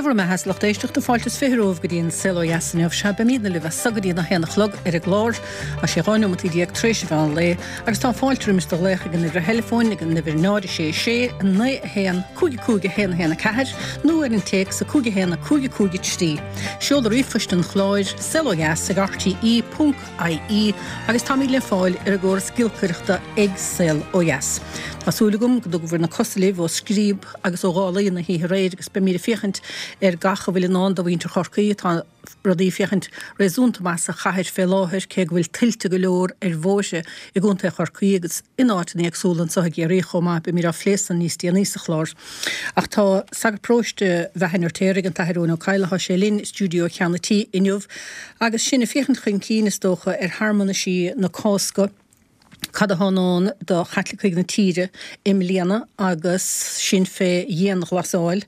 bhur mbeatha a lucht éisteachta, fáilte is 20 romhaibh go dtí an Saol Ó Dheas inniu. Sea, beimídne libh as so go dtí an 1 a chlog ar an gclár. Tá sé 12 neomataí tar éis an mheán lae agus tá fáilte roimis do ghlaoch ag an uimhir theileafóin ag an uimhir 0 6 6 9 1 5 5 1 1 4 nó ar an téacs 5 1 5 5 3. Seoladh ríomhphoist an chláir, saolodheas ag rte ponc ie agus táimid le fáil ar an gcóras giolcaireachta ag Saol Ó Dheas. Tá súil agam go dtugabhair na cosa libh ó scríob agus ó dhálaí na hoíche aréir agus beimid ag féachaint ar gach a bhfuil i ndán do mhuintir Chorcaí. Tá rudaí ag féachaint réasúnta maith sa chathair fé láthair cé go bhfuil tuilte go leor ar bhóithre i gContae Chorcaí agus in áiteanna éagsúla anseo i gCiarraí chomh maith. Beimid á phlé san níos déanaí sa chlár. Ach tá sagart paróiste Bheatha an Fheirtéaraigh, an tAthair Eoin Ó Cadhla, tá sé linn i stiúideo Cheann an Tí inniu agus sinn ag féachaint chun cinn, is dócha, ar shearmanaisí na Cásca, cad atá i ndán do Chaitlicigh na tíre i mbliana agus sinn fé dhianghlasáil.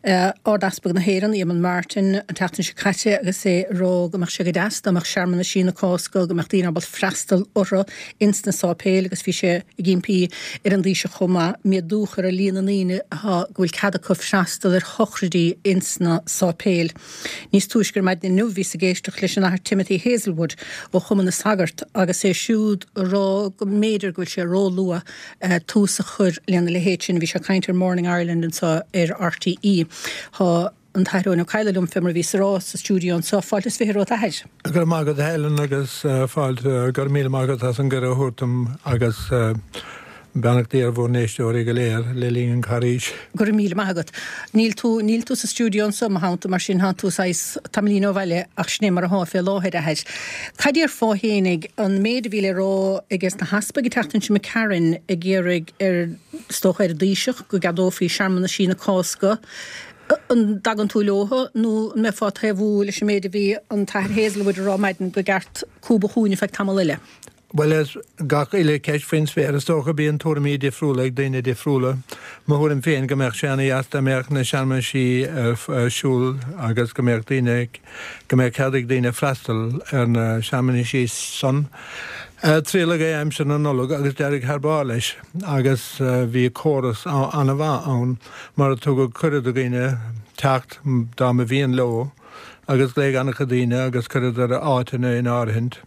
Ard-Easpag na hÉireann, Eamon Martin, an tseachtain seo caite agus é ag rá go mbeadh sé go deas dá mbeadh searmanaisí na Cásca, go mbeadh daoine ábalta freastal orthu ins na sáipéil agus bhí sé ag impí ar an dTaoiseach chomh maith méadú a chur ar líon na ndaoine atá go bhfuil cead acu freastal ar shochraidí ins na sáipéil. Níos túisce ar maidin inniu bhíos ag éisteacht leis an Athair Timothy Hazelwood ó Chumann na Sagart agus é siúd ag rá go mb'fhéidir go bhfuil sé róluath tús a chur lena leithéid sin. Bhí sé ag caint ar Morning Ireland anseo ar RTÉ. Tá an tAthair Eoin Ó Cadhla liom fé mar a bhíos ag rá sa stiúideo anseo. Fáilte is 20 romhat a Athair. Go raibh maith agat a Helen agus fáilte, go raibh míle maith agat as an gcuireadh a thabhairt dom agus beannacht Dé ar bhur n-éisteoirí go léir le linn an carghais. Go raibh míle maith agat. Níl tú, níl tú sa stiúideo anseo i mo theannta, mar sin tánn tú saghas tamaillín ó bhaile ach sin é mar athá fé láthair, a Athair. Cad déarfá fhéinig, an méid a bhí le rá aige na heaspaig an tseachtain seo imigh tharainn ag iarraidh ar, is dócha ar an dTaoiseach go gceadófaí searmanaisí na Cásca, an dtagann tú leotha nó an mbeifeá ag taobhú leis an méid a bhí an tAthair Hazelwood a rá ar maidin go gceart cúb a chúinne feadh tamall eile? Bhuel, is gach uile ceist faoin spéir, is dócha, bíonn tuairimí difriúla ag daoine difriúla. Mo thuairim féin go mbeadh sé ana dheas dá mbeadh na searmanaisí ar siúl agus go mbeadh daoine, go mbeadh cead ag daoine freastal ar na searmanaisí san. Triaileadh é aimsir na Nollag agus d'éirigh thar barr leis agus bhí córas ana mhaith ann mar a tugadh cuireadh do dhaoine teacht dá mba mhian leo. agus ghlaoigh an-chuid daoine agus chuireadar áiteanna in áirithint.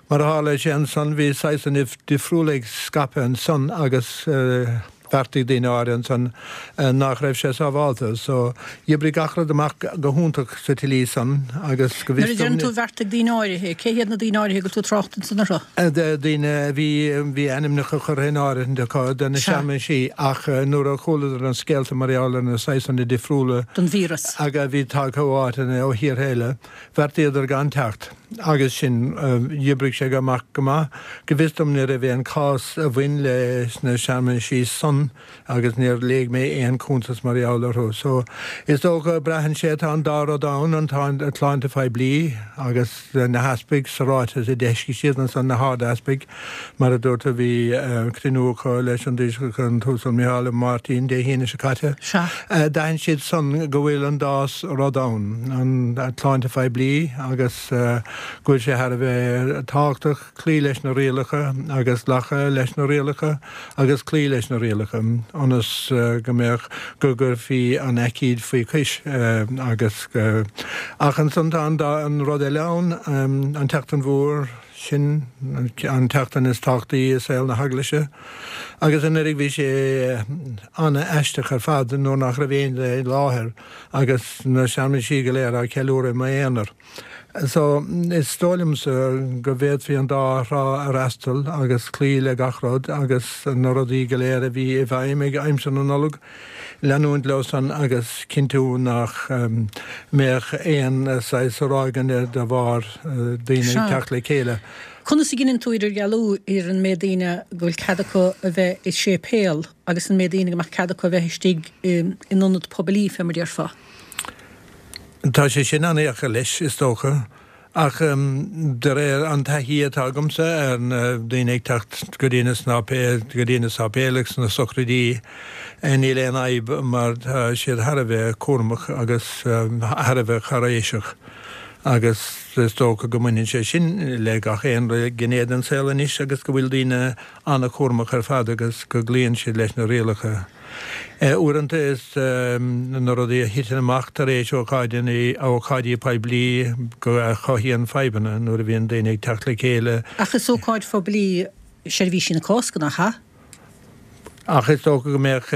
Mar a tharla sé ansan, bhí saghsanna difriúla ag scaipeadh ansan agus bheartaigh daoine áirithe ansan nach raibh sé sábhálta. So, dh'oibrigh gach rud amach go hiontach sa tslí san agus go bhfios dom. Nuair a deireann tú bheartaigh daoine áirithe, cé hiad na daoine áirithe go bhfuil tú ag trácht ansan orthu? Daoine a bhí, bhí ainmneacha curtha in áirithint acu do na searmanaisí ach nuair a chualadar an scéalta mar gheall ar na saghsanna difriúla den víreas. a bhí tagtha ó áiteanna, ó thíortha eile, bheartaíodar gan teacht. Agus sin, dh'oibrigh sé amach go maith. Go bhfios dom ní raibh aon chás a bhain leis na searmanaisí san agus níor léigh mé aon chuntas mar gheall orthu. So, is dócha, braitheann sé, tá an dá rud ann, an tsláinte phoiblí agus na heaspaig sa ráiteas a d'eisigh siad ansan, na hard-easpaig, mar a dúirt tú, bhí cruinniú acu leis an dTaoiseach, an tUasal Micheál Martin, Dé hAoine seo caite. D'aithin siad san go bhfuil an dá rud ann, an tsláinte phoiblí agus go bhfuil sé thar a bheith tábhachtach cloí leis na rialacha agus glacadh leis na rialacha agus cloí leis na rialacha ionas go mbeadh, go gcuirfí an aicíd faoi chois agus go, ach ansan tá an dá, an rud eile ann, an tSeachtain Mhór, sin an tseachtain is tábhachtaí i saol na hEaglaise agus anuraidh bhí sé an-aisteach ar fad nuair nach raibh éinne i láthair agus na searmanaisí go léir á ceiliúradh i m'aonar. So, is dóigh liomsa go bhféadfaí an dá thrá a fhreastal agus cloí le gach rud agus na rudaí go léir a bhí i bhfeidhm ag aimsir na Nollag, leanúint leo san agus cinntiú nach mbeadh aon saghas ráigeanna de bharr daoine ag teacht le chéile. Conas a dheineann tú idirdhealú idir an méid daoine go bhfuil cead acu a bheith i séipéal agus an méid daoine go mbeadh cead acu a bheith istigh in ionad poiblí, fé mar déarfá? Tá sé sin an-dheacair leis, is dócha, ach de réir an taithí atá agamsa ar na daoine ag teacht go dtí na go dtí na sáipéil agus na sochraidí, níl aon fhadhb mar tá siad thar a bheith cúramach agus thar a bheith cáiréiseach. Agus is dócha go mbaineann sé sin le gach aon ghné den saol anois agus go bhfuil daoine an-chúramach ar fad agus go gcloíonn siad leis na rialacha. Uaireanta is na rudaí a thiteann amach tar éis ócáideanna, ócáidí poiblí go a chothaíonn fadhbanna nuair a bhíonn daoine ag teacht le chéile. Ach is ócáid phoiblí seirbhísí na Cásca, nach ea? Ach is dócha go mbeadh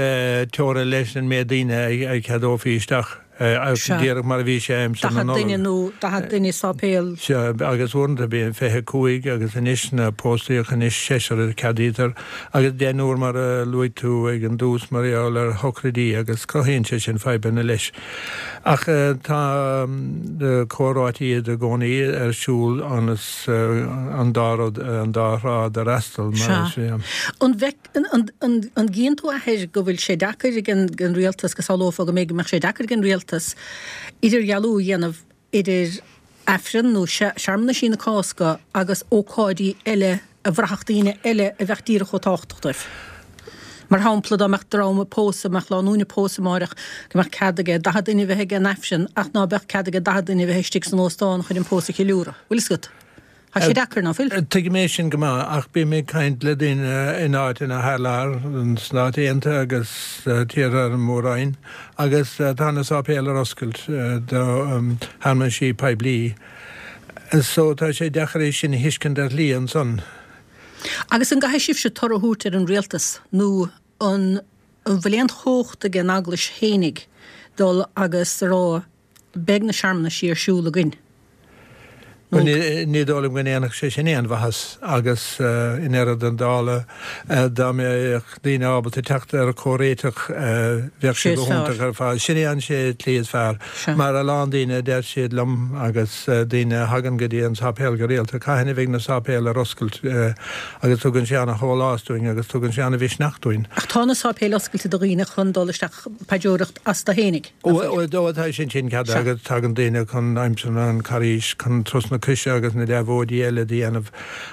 teora leis an méid daoine a cheadófaí isteach, díreach mar a bhí sé aimsir na Nollag. 40 duine nó 40 duine i sáipéal. Sea, agus uaireanta bíonn 25 agus anois na póstaíocha anois seisear a ceadaítear agus deichniúr mar a luaigh tú ag an dtús mar gheall ar shochraidí agus cruthaíonn sé sin fadhbanna leis. Ach tá comhráití iad i gcónaí ar siúl ionas an dá rud, an dá thrá d'fhreastal, mar is ea. An bhfeic, an gcíonn tú, a Athair, go bhfuil sé deacair ag an rialtas, go samhlófá go mbeidh, go mbeadh sé deacair ag an rialtas idirdhealú a dhéanamh idir Aifreann nó searmanaisí na Cásca agus ócáidí eile a bhraithfeadh daoine eile a bheadh díreach chomh tábhachtach dóibh. Mar shampla, dá mbeadh dream ag pósadh, mbeadh lánúin ag pósadh amáireach, go mbeadh cead aige 40 duine a bheith ag an Aifreann ach ná beadh cead aige 40 duine a bheith istigh san óstán chun an pósadh a cheiliúradh. Bhfuil fhios agat? Tá sé deacair, ná fuil? Tuigim é sin go maith, ach bím ag caint le daoine in áiteanna thar lear, sna Stáit Aontaithe agus tíortha ar an Mór-Roinn, agus tá na sáipéil ar oscailt do shearmanaisí poiblí. So tá sé deacair é sin a thuiscint ar shlí ansan. Agus an gcaithfidh sibhse toradh a thabhairt ar an rialtas nó an bhfuil aon chumhacht ag an Eaglais fhéinig dul agus a rá beidh na searmanaisí ar siúl againn? Bhuel, ní dóigh liom go ndéanfadh sé sin aon mhaitheas agus i ndeireadh na dála dá mbeadh daoine ábalta teacht ar chomhréiteach bheadh sé go hiontach ar fad. Sin é an tslí is fearr. Mar a lán daoine a deir siad liom agus daoine a thagann go dtí an sáipéal go rialta, cathain a bheidh na sáipéil ar oscailt agus tugann sé ana-shólás dúinn agus tugann sé ana-mhisneach dúinn. Ach tá na sáipéil oscailte do dhaoine chun dul isteach paidreoireacht astu fhéinig, nach bhfuil? Ó tá sin sin ceadaithe agus tagann daoine chun aimsir an Charghais chun Turas na Croise agus na deabhóidí eile do dhéanamh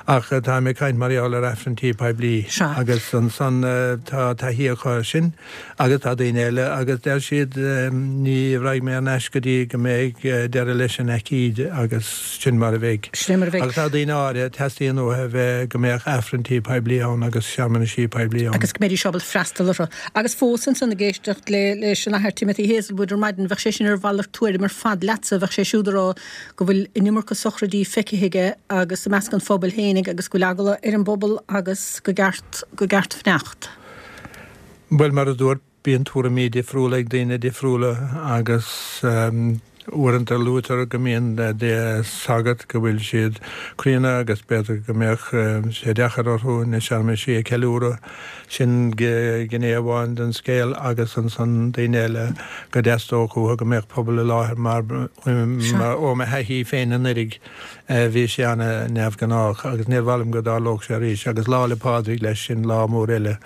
ach táim ag caint mar gheall ar Aifrinntí poiblí agus ansan tá taithí acu air sin. Agus tá daoine eile agus deir siad, ní raghaidh mé thar n-ais go dtí go mbeidh deireadh leis an aicíd agus sin mar a bheidh. Sin é mar a bheidh. Agus tá daoine áirithe, teastaíonn uathu a bheith, go mbeadh Aifrinntí poiblí ann agus searmanaisí poiblí ann. Agus go mbeidís ábalta freastal orthu. Agus fós ansan ag éisteacht le leis an Athair Timothy Hazelwood ar maidin, bheadh sé sin ar mhalairt tuairim ar fad leatsa, bheadh sé siúd ag rá go bhfuil an iomarca sochraidí feicthe aige agus i measc an phobail fhéinig agus go bhfuil eagla ar an bpobal agus go gceart, go gceart fanacht. Bhuel, mar a dúirt, bíonn tuairimí difriúla ag daoine difriúla agus uaireanta luaitear go mbíonn sagairt go bhfuil siad críonna agus b'fhéidir go mbeadh sé deacair orthu na searmanaisí a cheiliúradh. Sin gné amháin den scéal agus ansan daoine eile go dteastódh uathu go mbeadh pobal i láthair mar ó mo thaithí féin anuraidh Bhí sé ana-neamhghnách agus níor mhaith liom go dtarlódh sé arís. Agus Lá 'le Pádraig leis, sin lá mór eile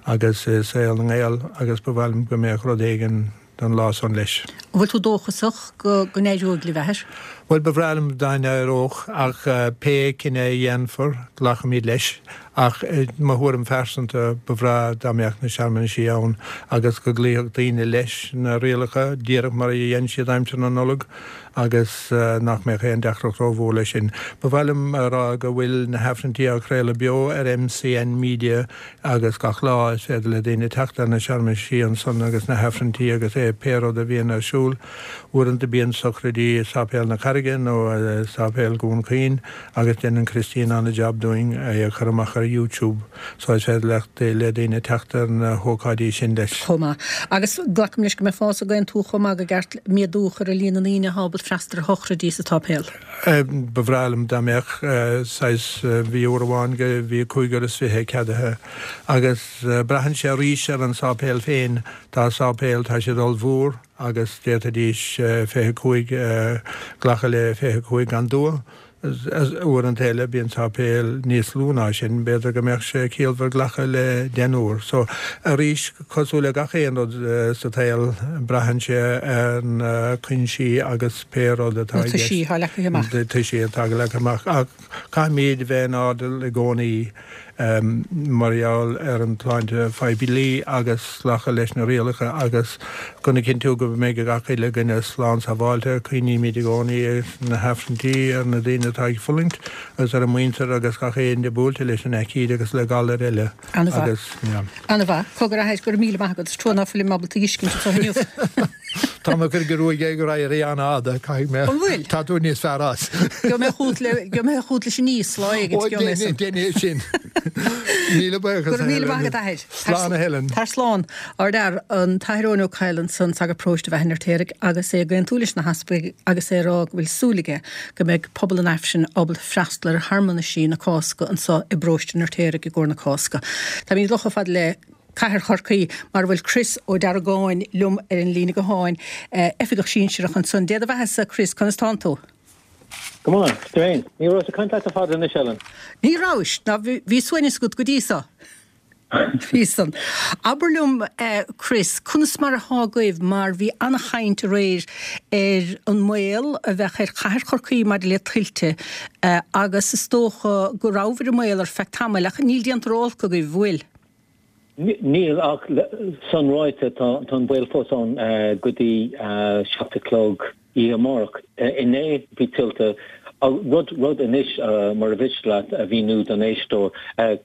agus i saol na nGael agus ba mhaith liom go mbeadh rud éigin don lá san leis. An bhfuil tú dóchasach go n-éireoidh libh, a Athair? Bhuel, ba bhreá liom dá n-éireodh ach pé cinneadh a dhéanfar, glacfaimid leis. Ach i mo thuairim phearsanta, ba bhreá dá mbeadh na searmanaisí ann agus go gcloífeadh daoine leis na rialacha, díreach mar a dhein siad aimsir na Nollag. agus nach mbeadh aon deacracht rómhór leis sin. Ba mhaith liom a rá go bhfuil na hAifrinntí á craoladh beo ar MCN Media agus gach lá is féidir le daoine teacht ar na searmanaisí ansan agus na hAifrinntí agus é pé rud a bhíonn ar siúl. Uaireanta bíonn sochraidí i Sáipéal na Carraige nó i Sáipéal Dhún Chaoin agus déanann Christine ana-jab dúinn é a chur amach ar YouTube so is féidir le daoine teacht ar na hócáidí sin leis. chomh maith. Agus glacaim leis go mbeifeá ag aontú chomh maith go gceart méadú a chur ar líon na ndaoine atá ábalta freastal ar shochraidí sa tsáipéal. Ba bhreá liom dá mbeadh saghas, bhí uair amháin go bhí 25 ceadaithe agus braitheann sé arís ar an sáipéal féin, tá sáipéil, tá siad ollmhór agus d'fhéadfaidís 25, glacadh le 25 gan dua. Uaireanta eile bíonn sáipéil níos lú ná sin, b'fhéidir go mbeadh sé ciallmhar glacadh le deichniúr. So, arís, cosúil le gach aon rud sa tsaol, braitheann sé ar na cuinsí agus pé rud atá i gceist. Na toisí atá leagtha amach. Na toisí atá leagtha amach. Ach caithfimid bheith in airdeall i gcónaí. Mar gheall ar an tsláinte phoiblí agus glacadh leis na rialacha agus chun a chinntiú go mbeidh gach uile dhuine slán sábháilte, cuimhnímid i gcónaí ar na hAifrinntí, ar na daoine atá ag fulaingt agus ar a muintir agus gach éinne buailte leis an aicíd agus le galair eile agus, yeah. Ana-mhaith. Cogar a athair, go raibh míle maith agat. Is trua ná fuilim ábalta a fheiscint anseo inniu. Tá mé ag cur gruaig ag éirí an-fhada, caithfidh mé. An bhfuil? Tá tú níos fearr as. Gheobhaidh mé chugat le, gheobhaidh mé chugat leis an íos lá éigint, Ó, gheobhaidh mé san. déan é sin. Míle buíochas, Go raibh míle maith agat, a athair. Slán, a Helen. Tar slán. Ardfhear, an tAthair Eoin Ó Cadhail ansan, sagart paróiste Bheatha an Fheirtéaraigh, agus é ag aontú leis na heaspaig agus é ag rá go bhfuil súil aige go mbeidh pobal an Aifrinn ábalta freastal ar shearmanaisí na Cásca anso i bparóiste an Fheirtéaraigh i gcomhair na Cásca. Táimid ag dul chomh fada le Cathair Chorcaí mar a bhfuil Chris Ó Deargáin liom ar an líne gutháin, Oifigeach Sinsearach ansan. Dé do bheathasa, Chris, conas tánn tú? Go maith, tú féin? Ní rabhas ag caint leat le fada anois, Ellen. Ní rabhais, ná bhí suaimhneas agat go dtí so. Bhí san. Abair liom, Chris, conas mar athá agaibh mar bhí an-chaint aréir ar an mbaol a bheadh ar chathair Chorcaí maidir le tuilte agus is dócha go rabhabhair i mbaol ar feadh tamaill ach níl déanta ró-olc agaibh, bhfuil? Níl ach san ráite tá an baol fós ann go dtí 7 a chlog oíche amárach. Inné bhí tuilte, rud, rud anois mura mhiste leat a mhíniú don éisteoir,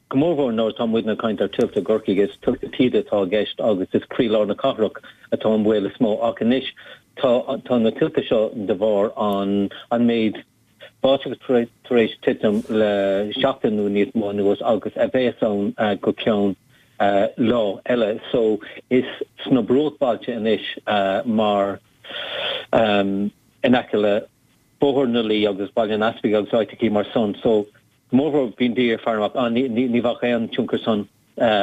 go mórmhór nuair atá muidne ag caint ar tuilte i gCorcaigh, is tuilte taoide atá i gceist agus is croílár na cathrach atá an baol is mó ach anois tá, tá na tuilte seo de bharr an, an méid báisteach tar éis titim le seachtain nó níos mó anuas agus a bheas ann go ceann lá eile. So is sna bruachbhailte anois mar in aice le Bóthar na Laoi agus Baile an Easpaig agus áiteachaí mar san. So go mórmhór bíonn daoine ag faire amach, ah ní bheadh aon tionchar san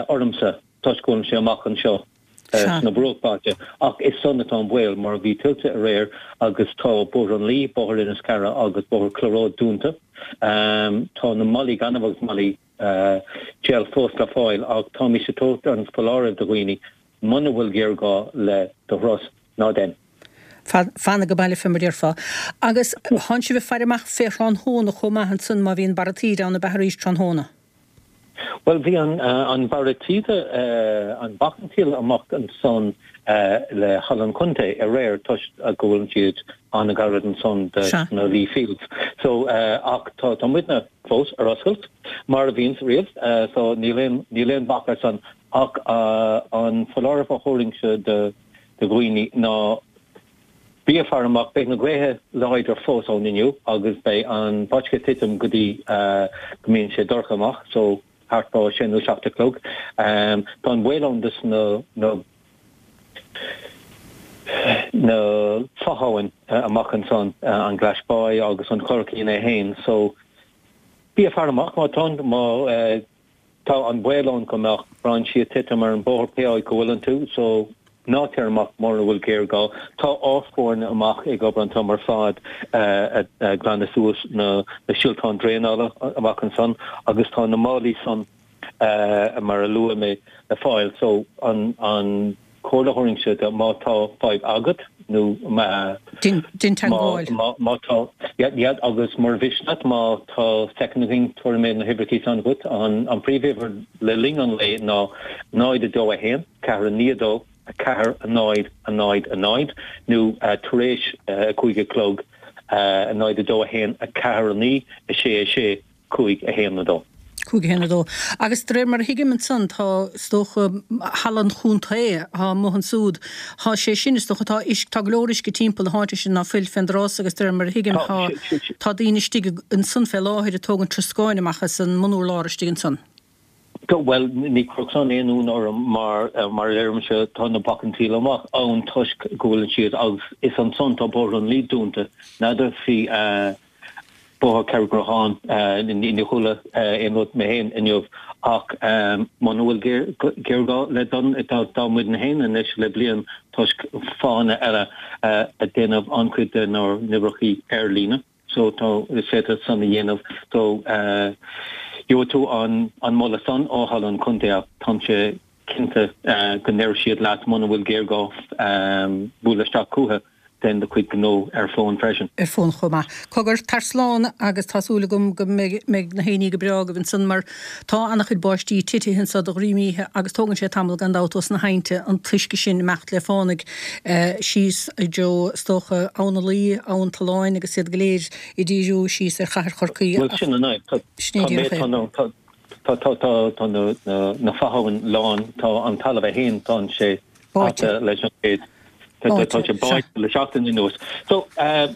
ormsa toisc go bhfuilimse amach anseo sna bruachbhailte. Ach is san atá an baol mar bhí tuilte aréir agus tá Bóthar an Laoi, Bóthar Inis Cara agus Bóthar Cloghroe dúnta. Tá na malaí gainimh agus malaí gel fós le fáil ach táimís ag tabhairt an foláireamh do dhaoine muna bhfuil géarghá le do thuras, ná dein. Fan age baile fé mar déarfá. Agus thánn sibh ag faire amach fé thráthnóna chomh maith ansan má bhíonn barra taoide ann ab ea arís tráthnóna? Bhuel bhí an an barra taoide, an bacan taoille amach ansan le Halla an Chontae aréir toisc go bhfuil siad an-ghairid ansan de na Lee Fields. So ach tá tá muidne fós ar oscailt mar a bhíonns riamh so níl aon níl aon bac ar san ach an foláireamh a thabharfainnse do dhaoine ná bí ag faire amach, beidh na gaotha láidir fós ann inniu agus beidh an báisteach ag titim go dtí go mbíonn sé dorcha amach, so thart fá sé nó 7 a chlog. Tá an baol ann dos na na fo-abhainn amach ansan, an Glaisbáigh agus an Churraichín é fhéin, so bí ag faire amach má tá, má. Tá an baol ann go mbeadh brainsí ag titim ar an bóthar pé áit go bhfuileann tú, so ná téir amach mura bhfuil géarghá. Tá ár foirne amach ag obair an t-am ar fad ag glanadh suas na sioltáin draenála amach ansan agus tá na málaí san mar a luaigh mé le fáil so an an comhairle a thabharfainnse do má tá fadhb agat nó má Déan teagmháil. má tá yeah agus mura mhiste leat má tá soicind againn tabharfaidh mé na huimhreacha san dhuit. An príomhuimhir le linn an lae ná 0 2 1 4 9 2 4 0 0 0 nó tar éis 5 a chlog 0 2 1 4 9 6 6 5 1 2. 5 1 2. Agus de réir mar a thuigim ansan, tá, is dócha, Halla an Chontae, thá amuigh ansúd, thá sé sin, is dócha, tá uisce, tá go leor uisce timpeall na háite sin ná fuil fén dtrás agus de réir mar a thuigim, thá, tá daoine istigh ansan fé láthair ag tógaint troscáin amach as an mbunurlár istigh ansan. Bhuel, ní chuirfeadh san aon ionadh orm mar, mar a deirimse, tá na bacainn taoille amach ann toisc go bhfuileann siad agus is ansan tá Bóthar an Laoi dúnta. N'fheadar faoi Bóthar Carraig Ghratháin, níor chuala aon rud mé féin inniu ach muna bhfuil géarghá le dul, tá muidne féin anois le bliain toisc fáthanna eile ag déanamh an-chuid denár n-oibreachaí ar líne so tá, is féidir san a dhéanamh so gheobhaidh tú an moladh san ó Halla an Chontae ach táimse cinnte go ndéarfaidh siad leat muna bhfuil géarghá bualadh isteach chucu. Déan do chuid gnó ar fón freisin. Ar fón chomh maith. Cogar, tar slán agus tá súil agam go mbeidh na héinní go breá agaibh ansan mar tá ana-chuid báistí titithe anso de dhroim oíche agus tógann sé tamall gan dabht ós na haibhnte an t-uisce sin imeacht le fánaidh síos i dtreo is dócha Abhainn an Laoi, Abhainn Tolláin agus iad go léir ag díriú síos ar chathair Chorcaí Bhuel sin an fhadhb. Sin é díreach é. Tá tá tá na fo-abhann lán, tá an talamh é féin, tá sé Báite. leis an méid. Tá sé báite le seachtain anuas. So,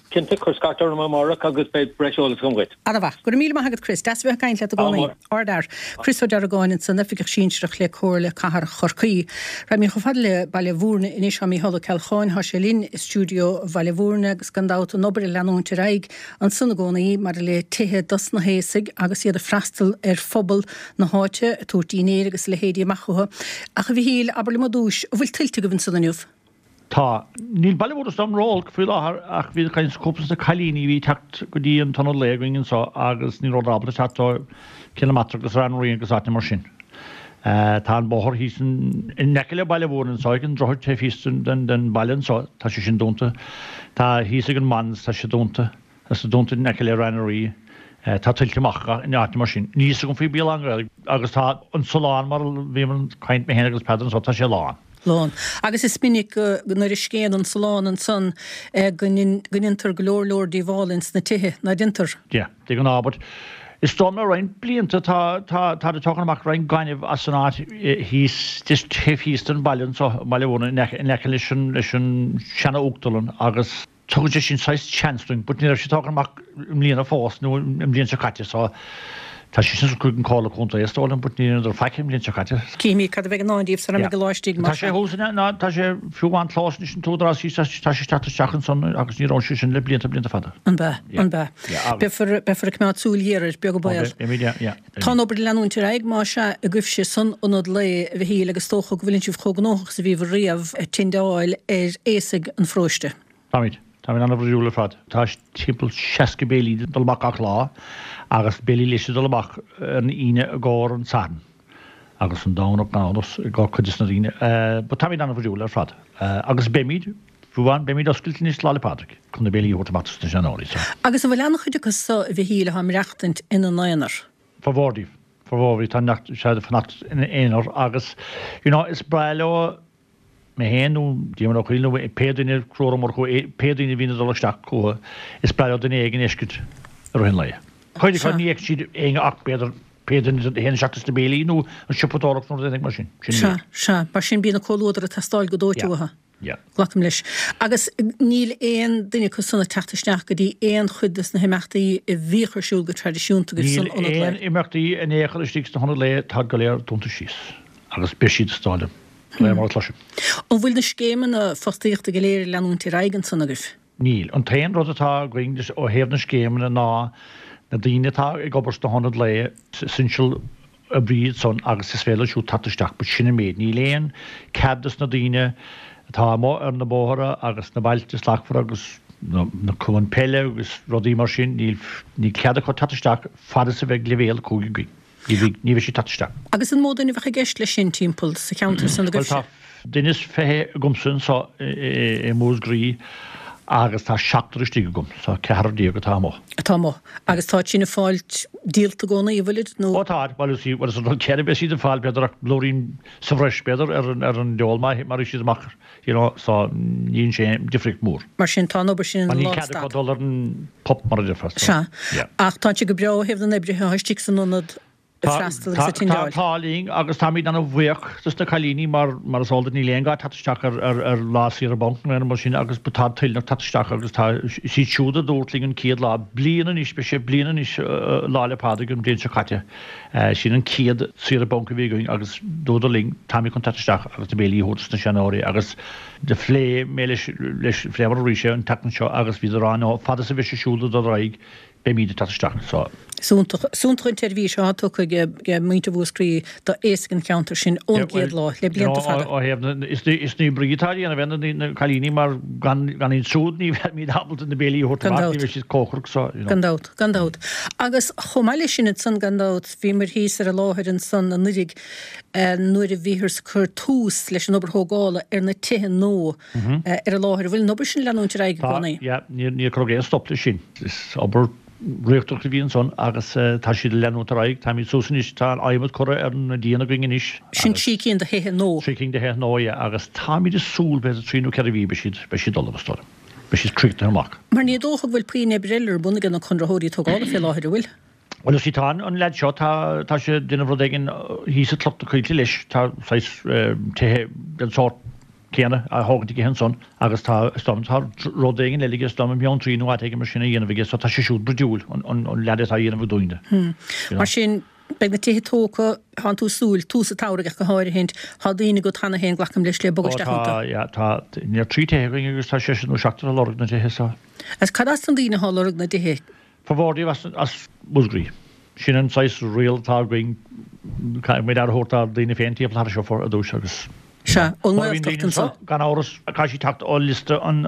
cinnte, cuir scairt orm amárach agus beidh breis eolais agam dhuit. Ana-mhaith. Go raibh míle maith agat Chris. Deas a bheith ag caint leat i gcónaí. Ardfhear. Chris Ó Deargáin ansan, Oifigeach Sinsearach le Comhairle Cathrach Chorcaí. Raghaimid chomh fada le Baile Bhúirne anois. Tá Mícheál Ó Ceallacháin, tá sé linn i stiúideo Bhaile Bhúirne agus gan dabht an obair ag leanúint ar aghaidh ansan i gcónaí maidir le tithe dos na haosaigh agus iad ag freastal ar phobal na háite, ag tabhairt dínnéir agus a leithéidí amach chucu. Ach a Mhichíl, abair liom ar dtúis, an bhfuil tuilte agaibh ansan inniu? Tá. Níl Baile Bhúirne is dóigh liom ró-olc faoi láthair ach bhí caint cúpla de na cailíní a bhí ag teacht go dtí an t-ionad lae againn anseo agus ní rabhadar ábalta teacht ó Cill na Martra agus Rann na Ríogh agus áiteanna mar sin. Tá an bóthar thíos in aice le Baile Bhúirne anseo ag an droichead taobh thíos den bhaile anseo, tá sé sin dúnta. Tá thíos ag an Mans, tá sé dúnta. Tá sé dúnta in aice le Rann na Rí. Tá tuilte amach in áiteanna mar sin. Níl fhios agam faoi Béal Átha an Ghaorthaidh agus tá an Sulán mar a bhíomar ag caint mé féin agus Peadar anseo, tá sé lán. Lán. Agus is minic go nuair a scéann an Sulán ansan go ndéantar go leor leor díobhála ins na tithe, ná déantar? Yeah. De ghnáth but is dóigh liom le roinnt blianta tá tá tá ag tógáil amach roinnt gainimh as an áit thíos just taobh thíos den bhaile anseo, Baile Bhúirne, in aice in aice leis an leis an seana-uachtarlann agus tugann sé sin saghas chance dúinn but ní raibh sé tógtha amach i mbliana fós nó an bhliain seo caite so tá sé sin chuig an Comhairle Contae is dóigh liom but ní rabhadar faic an bhliain seo caite. Cífimid cad a bheidh i ndán díobh sara mbeidh an lá istigh mar Tá sé thuas in ná tá sé fiú amháin clós anois an t-údarás thíos tá sé ag teacht isteach ansan agus ní raibh sé sin le blianta blianta fada. An b'ea? An b'ea? Beifear beifear ag coimeád súil ghéar air, beag an baol. Beimid yeah yeah. Tá an obair ag leanúint ar aghaidh más ea agaibhse san ionad lae a Mhichíl agus is dócha go bhfuileann sibh chomh gnóthach is a bhíobhair riamh ag tindeáil ar aosaigh an pharóiste. Táimid. Táimid an-bhrúidiúil ar fad. Tá timpeall 60 béilí ag dul amach gach lá agus béilí leis ag dul amach ar an Aoine i gcomhair an Satharn agus an Domhnach gan amhras i gcomhair cuid des na daoine. But táimid an-bhrúidiúil ar fad. Agus beimid, fiú amháin, beimid oscailte anois Lá 'le Pádraig chun na béilí a thabhairt amach dos na seanóirí. So. Agus an bhfuil an-chuid acu so, a Mhichíl, atá ag maireachtaint ina n-aonar? Formhór díobh. Formhór díobh. Tá neart, sea, ag fanacht ina n-aonar agus, you know, is breá leo mé féin nó Diarmuid Ó Cuill nó pé duine, Conchúr Ó Murchú, pé duine a bhíonn ag dul isteach chucu, is breá leo duine éigin a fheiscint i rith an lae. Cuid acu ní fheiceann siad éinne ach b'fhéidir pé duine a théann isteach dos na béilí nó an siopadóireacht nó rud éigin mar sin. Sin Sea, sea. Mar sin bíonn an comhluadar ag teastáil go dóite Yeah. uathu. Yeah. Glacaim leis. Agus níl aon duine acu san ag teacht isteach go dtí aon chuid de na himeachtaí a bhíodh ar siúl go traidisiúnta agaibh Níl san ionad lae. aon imeachtaí in aon chor istigh sna hionaid lae, táid go léir dúnta síos agus beidh siad is dóigh liom, de réir mar a chloisim. An bhfuil na scéimeanna fostaíochta go léir ag leanúint ar aghaidh ansan agaibh? Níl. An t-aon rud atá againn ó thaobh na scéimeanna ná na daoine atá ag obair sna hionaid lae, essential oibrí iad san agus is féidir leo siúd teacht isteach but sin an méid. Níl aon cead dos na daoine atá amuigh ar na bóithre agus na bailte slachtmhara agus na cumainn peile agus rudaí mar sin, níl níl cead acu teacht isteach fad is a bheidh leibhéal 5 againn. Ní bheidh ní bheidh siad teacht isteach. Agus an mó duine a bheadh i gceist leis sin timpeall sa cheantar san Bhuel agaibhse? tá duine is 20 agamsa anseo i Múscraí agus tá seachtar istigh agam, so ceathrar déag atá amuigh. Atá amuigh. Agus táid sin ag fáilt díolta i gcónaí, an bhfuilid, nó? Ó táid, bhuel is bhuel is an rud céanna beidh siad ag fáil b'fhéidir ach blúirín sa bhreis b'fhéidir ar an ar an deol má má bhí siad amach you know so ní dhéanann sé aon difríocht mhór. Mar sin tá an obair sin ina Mar níl cead lánstad. acu dul ar an pub mar a déarfá so Sea. yeah. Ach tá sé go breá ó thaobh na n-oibrithe atá istigh san ionad ag freastal agus ag Tá tindeáil. an t-ádh linn agus táimid ana-bhuíoch dos na cailíní mar mar is eol duit níl aon gá teacht isteach ar ar ar lá saoire banc nó aon rud mar sin agus tá toilteanach teacht isteach agus tá siad siúd a dúirt linn an chéad lá, bliain anois, beidh sé bliain anois Lá 'le Pádraig an bhliain seo caite, sin an chéad saoire banc a bhí againn agus dúradar linn táimid chun teacht isteach agus na béilí a thabhairt dos na seanóirí agus do phléigh mé leis leis phléamar arís é an tseachtain seo agus bhíodar á no fad is a bheidh sé siúd ag dul ar aghaidh beimid ag teacht isteach so. Is iontach, is iontach an tseirbhís atá tugtha ag muintir Mhúscraí d'aosaigh an cheantair sin ón gcéad lá, le blianta fada. Ó thaobh na, is Naomh Bríd atá á dhéanamh ar na cailíní mar gan iad siúd ní bheimid ábalta na béilí a thabhairt amach, ní bheidh siad cócaireacht so, you know. Gan dabht, gan dabht. Agus chomh maith leis sin ansan gan dabht, bhíomar thíos ar an láthair ansan anuiridh nuair a bhíothas ag cur tús leis an obair thógála ar na tithe nua ar an láthair. An bhfuil an obair sin ag leanúint ar aghaidh i gcónaí? Tá, yeah, níor cuireadh aon stop leis sin. Is obair riachtanach a bhí ansan agus tá siad ag leanúint ar aghaidh. Táimid suas anois, tá an adhmad curtha ar an díon againn anois. Sin 3 cinn de thithe nua. 3 cinn de thithe nua, yeah, agus táimid ag súil b'fhéidir 3 nó 4 mhí beidh siad, beidh siad ullamh, is dóigh liom. Beidh siad críochnaithe amach. Mar ní dócha go bhfuil puinn oibre eile ar bun ag na conraitheoirí tógála fé láthair, an bhfuil? Bhuel, you see, tá an leaid seo, tá, tá sé ag déanamh rud éigin thíos i Cloch na Coillte leis, tá saghas tithe den sórt céanna á thógaint aige ansan agus tá, is dóigh liom, tá rud éigin eile aige, is dóigh liom i mBeanntraí nó áit éigin mar sin á dhéanamh aige, so tá sé siúd bruidiúil, an, an, an leaid atá á dhéanamh dúinne. You know. Mar sin, beidh na tithe tógtha, tánn tú ag súil, tús an tsamhraidh ach go háirithint, tá daoine agat cheana féin, glacaim leis, le bogadh Ó isteach tá, iontu. yeah, tá, níl ach 3 tithe againn agus tá seisear nó seachtar ag lorg na dtithe, so. Agus cad as na daoine atá ag lorg na dtithe? Formhór díobh as Múscraí. Sin an saghas riail atá againn, caithfidh muid aire a thabhairt dár ndaoine féin timpeall thar seo ar dtús agus Sea, ón nGaeltacht anso. Gan amhras, caithfidh siad teacht ó liosta an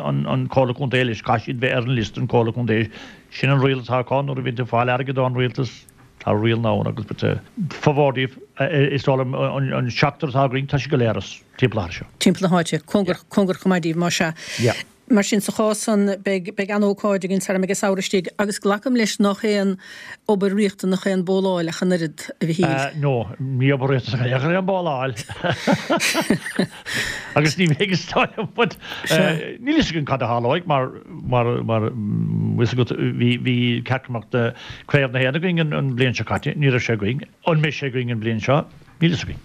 Chomhairle Contae leis, caithfidh siad bheith ar an liosta an Chomhairle Contae. Sin an riail atá acu nuair a bhíonn tú ag fáil airgead ón rialtas, tá riail ann agus but formhór díobh, is dóigh liom an seachtar atá againn, tá siad go léir as timpeall thar seo. Timpeall na háite, cóngarach, cóngarach chomh maith díbh, más ea. Yeah. Mar sin, sa chás san, beidh, beidh an-ócáid againn sara mbeidh an samhradh istigh, agus glacaim leis nach aon obair riachtanach é an bóláil ach an oiread, a Mhichíl. No, ní obair riachtanach é an bóláil. Agus ní bheidh is dóigh liom, but níl fhios againn cad a tharlóidh mar, mar, mar, bhfuil fhios agat, bhí, bhí cearc Craobh na hÉireann againn an, an bhliain seo caite, ní raibh sé againn. An mbeidh sé againn an bhliain seo? Níl fhios againn.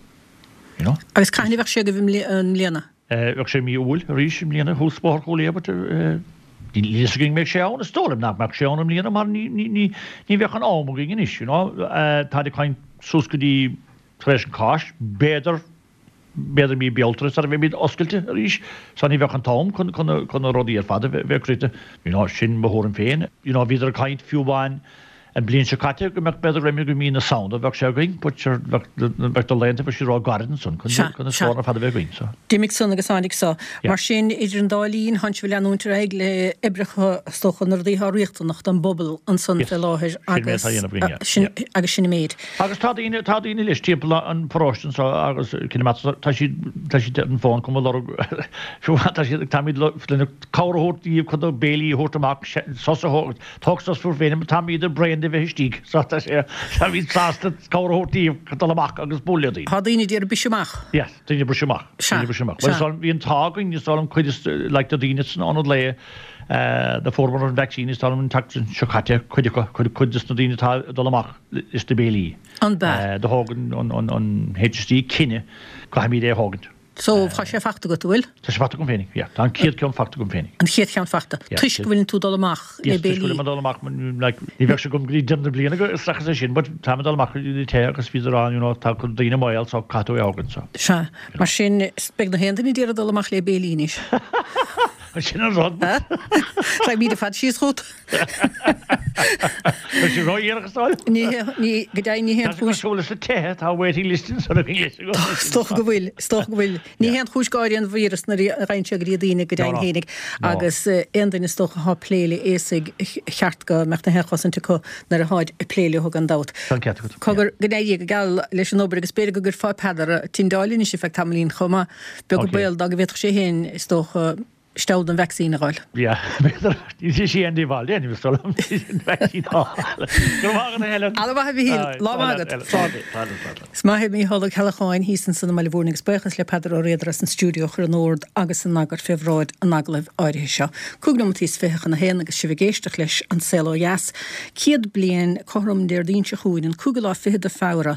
You know? Agus cathain a bheadh sé agaibh i mbliana? Bheadh sé i mí Iúil arís i mbliana thuas Bóthar Chúil Aodha but níl fhios againn an mbeidh sé ann, is dóigh liom nach mbeadh sé ann i mbliana mar ní ní ní bheadh an am againn anois you know. Táid ag caint suas go dtí tar éis an Cháisc, b'fhéidir b'fhéidir mí Bealtaine sara mbeimid oscailte arís so ní bheadh an t-am chun chun na chun na rudaí ar fad a bheith críochnaithe you know sin mo thuairim féin. You know bhíodar ag caint fiú amháin An bhliain seo caite go mbeadh b'fhéidir roimhe go mí na Samhna bheadh sé againn but sure bheadh bheadh na laethanta bheadh siad ró-ghairid ansan chun Sea, chun na sea. scóranna ar fad a bheith againn so. D'imigh san agus tháinig so. Yeah. Mar sin, idir an dá linn, thánn sibh ag leanúint ar aghaidh le oibreacha, is dócha, na rudaí atá riachtanach don bpobal ansan Yes. fé láthair Sin méid agus atá a dhéanamh againn, yeah. sin Yeah. agus sin an méid. Agus tá daoine, tá daoine leis timpeall an pharóiste anso agus Cill na Martra, tá siad, tá siad ar an bhfón chun mo lorg, fiú tá siad, táimid le cabhair a thabhairt díobh chun na béilí a thabhairt amach, sos a thabhairt, Tóg sos fúibh féin, táimid bréan de bheith istigh, so tá sé, táimid sásta cabhair a thabhairt daoibh dul amach agus bualadh le daoine. Tá daoine ag iarraidh briseadh amach. Yes, daoine ag briseadh amach. Sea, Daoine ag briseadh amach. Bhuel, sea. is dóigh liom, bhí an t-ádh againn, is dóigh liom cuid is, like, de daoine san ionad lae, do fuaireamar an vaccine, is dóigh liom an tseachtain seo caite, cuid acu, cuid, cuid des na daoine atá ag dul amach leis na béilí. An b'ea? Do thóg an, an, an, an HSE cinneadh, caithfimid é a thógaint. So, tá sé fachta agat, an bhfuil? Tá sé fachta agam féinig, yeah. Tá an chéad ceann fachta agam féinig. An chéad cheann fachta. Yeah. Toisc go bhfuileann tú dul amach le Yes, toisc go béilí. bhfuilim ag dul amach, like, ní bheadh sé agam go dtí deireadh na bliana go, is seachas é sin, but táim ag dul amach go dtí na tithe agus bhíodar ann, you know, tá cuid daoine i mbaol, so caithfidh tú é a thógaint, so. Sea. Mar sin, beidh na haon duine ag iarraidh dul amach le béilí anois. Sin an rud. Raghaimid ar fad síos chugat. Tá sé ródhéanach is dóigh. Ní hé, ní, go deimhin ní haon Tá chúis. sé cosúil leis na tithe, tá waiting list ansan againn leis i gcónaí. Is dócha go bhfuil, is dócha go bhfuil. Ní haon chúis gáire an víreas nuair a ghabhann sé go dtí daoine go deimhin fhéinig agus aon duine is dócha atá ag plé le aosaigh cheart go mbeadh na haon chosaint acu nuair atáid ag plé leo gan dabht. Tá an ceart agat. Cogar, go n-éirí go geal leis an obair agus b'fhéidir go gcuirfeá Peadar ag tindeáil anois ar feadh tamaillín chomh maith. Beag an baol dá go bhféadfadh sé féin is dócha steall den vacsaín a fháil. Yeah, b'fhéidir. Ní sé sí Andy Bhal, yeah, ní bhfios dom an vacsaín a fháil. Go raibh maith agat, a Helen. Alla mhaith a Mhichíl. Lá maith agat. Slán. Slán, slán, slán. Is maith é Mícheál Ó Ceallacháin thíos ansan i mBaile Mhúirne agus buíochas le Peadar Ó Riada as an stiúideo a chur in ord agus in eagar fé bhráid an agallaimh áirithe seo. Cúig nóimeataí is fiche chun a haon agus sibh ag éisteacht leis An Saol Ó Dheas. 100 bliain cothrom Déardaoin seo chugainn, an cúigiú lá fichead de Feabhra,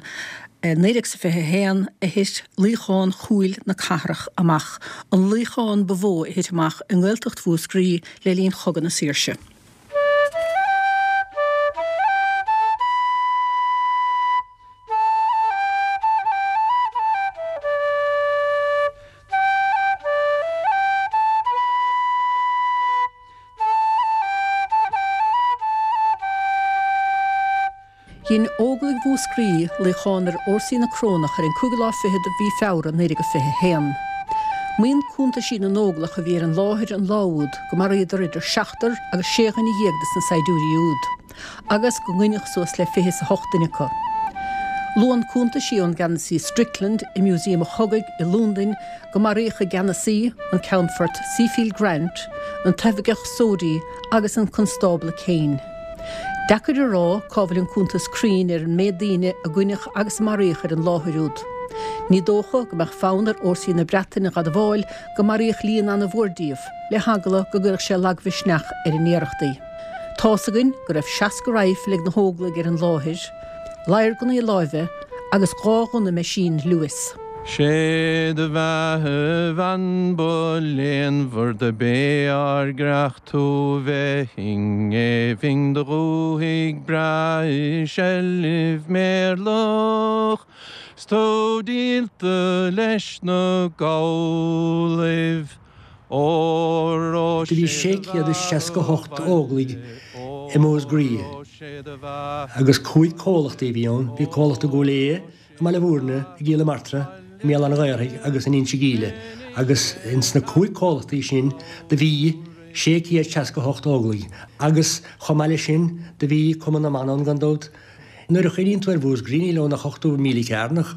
1921 a thit luíochán Chúil na Cathrach amach, an luíochán ba mhó a thit amach i nGaeltacht Mhúscraí le linn Chogadh na Saoirse. Dhein Óglaigh Mhúscraí luíochán ar fhórsaí na Corónach ar an cúigiú lá fichead de mhí Feabhra 1921. Maíonn cuntaisí na nÓglach a bhí ar an láthair an lá úd go maraíodar idir seachtar agus sé dhuine dhéag de sna saighdiúirí úd, agus go ngoineadh suas le fiche is a hocht duine acu. Luann cuntaisí ón gceannasaí Strickland i Músaem an Chogaidh i Lúndain go maraíodh a gceannasaí, an Ceannfort Seafield Grant, an t-oifigeach Sodhi agus an Constábla Kane. Deacair a rá cá bhfuil an cuntas cruinn ar an méid daoine a goineadh agus a maraíodh ar an láthair úd. Ní dócha go mbeadh fonn ar fhórsaí na Breataine dh'admháil go maraíodh líon ana-mhór díobh, le heagla go gcuirfeadh sé lagmhisneach ar a n-iarrachtaí. Tá's againn go raibh 60 raidhfil ag na hÓglaigh ar an láthair, ladharghunnaí láimhe agus 2 ghunna meaisín Lewis. Sé do bheatha a bhean ba léanmhar do b'é ár gcreach tú bheith i ngéibhinn do dhúthaigh breá i seilbh méirleach 's tú díolta leis na Gallaibh ór ó Do bhí sé do 668 Óglaigh i Músgraí agus cúig comhlachtaí a bhí ann. Bhí comhlacht i gCúil Aodha, i mBaile Mhúirne, i gCill na Martra, i mBéal Átha an Ghaorthaidh agus in Inse Gíle agus ins na cúig comhlachtaí sin do bhí 668 Óglaigh agus chomh maith leis sin do bhí Cumann na mBan ann gan dabht. Nuair a chuimhníonn tú ar Mhúscraí níl ann ach 80 míle cearnach,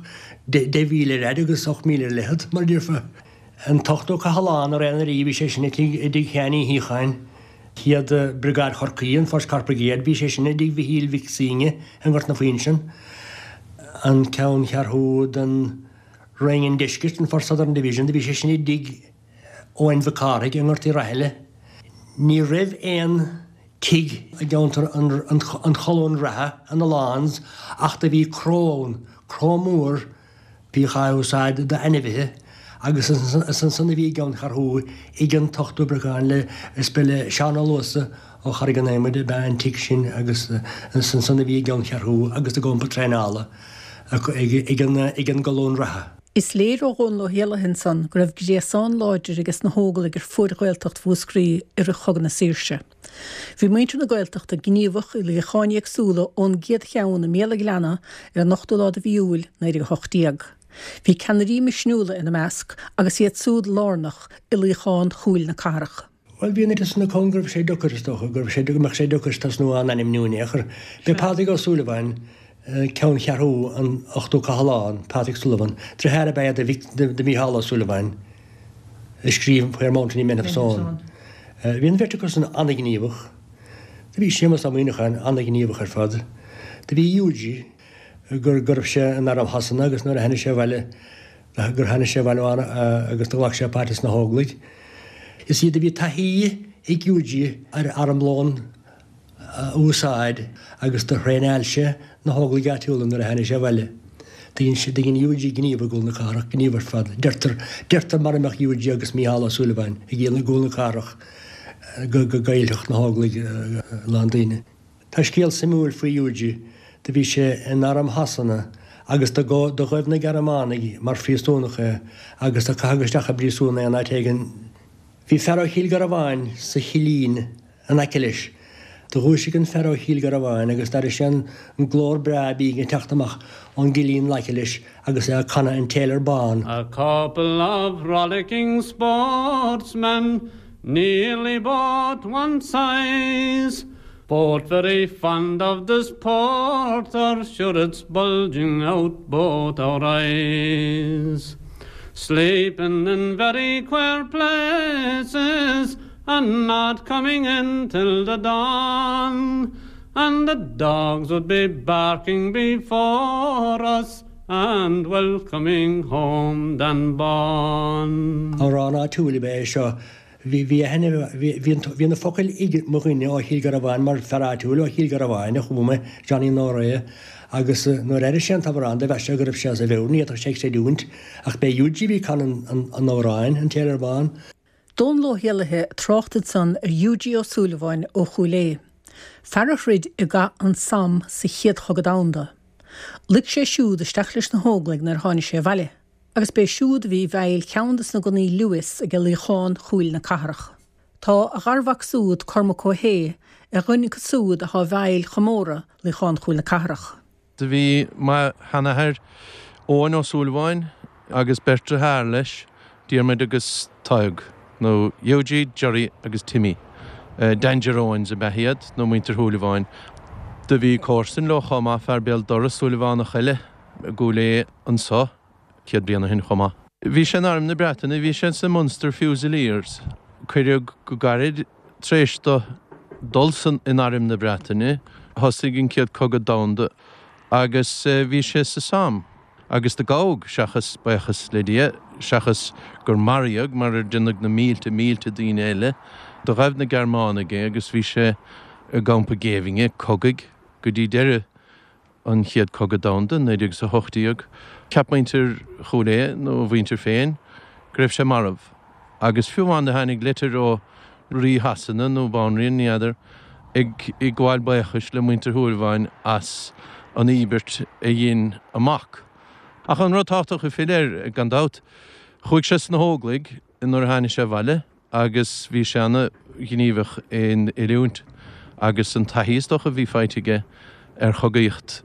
10 mhíle ar fhaid agus 8 míle ar leithead, mar a déarfá. An t-ochtú Cathlán ar aon bhí sé sin i dtigh Sheáin Uí Shíocháin. Chéad Briogáid Chorcaí, an First Cork Brigade, bhí sé sin i dtigh Mhichíl Mhic Suibhne i nGort na Fuinseann. An ceanncheathrú den Roinn an Deiscirt, an First Southern Division, do bhí sé sin i dtigh Eoin Mhic Cárthaigh i nGort Uí Rathaille. Ní raibh aon tigh i gceantar an Cholúin Reatha, an Lawns, ach do bhí cró ann, cró mór, Bhíodh á úsáid d'ainmhithe agus is ansan a bhí a gceanncheathrú ag an t-ochtú Briogáid le is ba le Seán Ó Luasa ó Charraig an Adhmaid ab ea an tigh sin agus is ansan a bhí a gceanncheathrú agus a gcampa traenála ag an gColún Reatha. Is léir ó Dhónal Ó hÉallaithe ansan go raibh gréasán láidir ages na hÓglaigh ar fuaid Ghaeltacht Mhúscraí i rith Chogadh na Saoirse. Bhí muintir na Gaeltachta gníomhach i luíocháin éagsúla ón gcéad cheann i mBéal an Ghleanna ar an ochtú lá de mhí Iúil 1918. Bhí ceannairí misniúla ina measc agus iad súd lárnach i luíochán Chúil na Cathrach. Bhuel, bhí an oiread san acu ann go raibh sé deacair, is dócha, go raibh sé, go mbeadh sé deacair tosnú á n-ainmniú in aon chor. B'é Pádraig Ó Súilleabháin ceanncheathrú an Ochtú Cathlán, Patrick Sullivan, deartháir ab ea é do Mhícheál Ó Súilleabháin, a scríobh Where Mountainy Men Have Sown. Bhí an bheirt acu san an-ghníomhach. Do bhí Séamus Ó Muíneacháin an-ghníomhach ar fad. Do bhí Hughie, go raibh sé in arm Shasana agus nuair a tháinig sé abhaile, gur tháinig sé abhaile agus do ghlac sé páirt sna hÓglaigh. Is iad a bhí taithí ag Hughie ar armlón a úsáid agus do thraenáil sé na hÓglaigh áitiúla nuair a tháinig sé abhaile. Do dhein Hughie gníomh i gCúl na Cathrach, gníomh ar fad. Deirtear, deirtear mara mbeadh Hughie agus Mícheál Ó Súilleabháin i gCúl na Cathrach go gcaillfeadh na hÓglaigh a lán daoine. Tá scéal suimiúil faoi Hughie. Do bhí sé in arm Shasana agus do ghaibh na Gearmánaigh mar phríosúnach é agus do caitheadh isteach i bpríosún é in áit éigin. Bhí fear ó Chill Garbháin sa chillín in aice leis. Do dhúisigh an fear ó Chill Garbháin agus d'airigh sé an glór breá binn ag teacht amach ón gcillín in aice leis agus é ag canadh An Tailor Bán. A couple of rollicking sportsmen, nearly both one size, Both very fond of this porter, sure it's bulging out both our eyes. Sleeping in very queer places, and not coming in till the dawn, and the dogs would be barking before us, and welcoming home Dan Bán. Amhrán áitiúil ab ea é seo. Bhí, bhí aithne, bhí, bhí an, bhí na focail ag mo dhuine ó Chill Garbháin mar fear áitiúil ó Chill Garbháin a chuala mé, Johnny Nóra, agus nuair a airigh sé an t-amhrán do mheas sé go raibh sé as a mheabhair, ní fhéadfadh sé creidiúint ach b'é Hughie a bhí ag canadh an, an amhráin, An Tailor Bán. Dónal Ó hÉallaithe ag trácht ansan ar Hughie Ó Súilleabháin ó Chúil Aodha, fear a throid i gcath an Somme sa Chéad Chogadh Domhanda. Luigh sé siúd isteach leis na hÓglaigh nuair a tháinig sé abhaile, agus b'é siúd a bhí i bhfeighil cheann de sna gunnaí Lewis age luíochán Chúil na Cathrach. Tá a gharmhac súd, Cormac Ó hAodha, ar dhuine acu súd athá i bhfeighil chomóradh luíochán Chúil na Cathrach. Do bhí mo sheanathair Eoin Ó Súilleabháin agus beirt dearthár leis, Diarmuid agus Tadhg, nó Hughie, Gerry agus Timmy. Danger Owens ab ea iad, nó muintir Shúilleabháin. Do bhí comharsan leo chomh maith, fear béal dorais, Súilleabhánach eile, i gCúil Aodha anso 100 bliain ó shin chomh maith. Bhí sé in Arm na Breataine, bhí sé sa Munster Fusiliers. Cuireadh go gairid tar éis do dul san in Arm na Breataine, thosaigh an Chéad Cogadh Domhanda agus bhí sé sa Somme agus do gabhadh, seachas, buíochas le Dia, seachas gur maraíodh, mar ar deineadh na mílte, mílte daoine eile. Do ghabh na Gearmánaigh é agus bhí sé i gcampa géibhinne cogaidh go dtí deireadh an Chéad Cogadh Domhanda, 1918. Cheap muintir Chúil Aodha, nó a mhuintir féin, go raibh sé marbh. Agus fiú amháin do tháinig litir ó Rí Shasana, nó Banríon, ní fheadar, ag gabháil buíochais le muintir Shúilleabháin as an íobairt a dhein a mac. Ach an rud tábhachtach a phill air, gan dabht, chuaigh sé sna hÓglaigh nuair a tháinig sé abhaile, agus bhí sé ana-ghníomhach in oiliúint agus an taithí is dócha a bhí faighte aige ar chogaíocht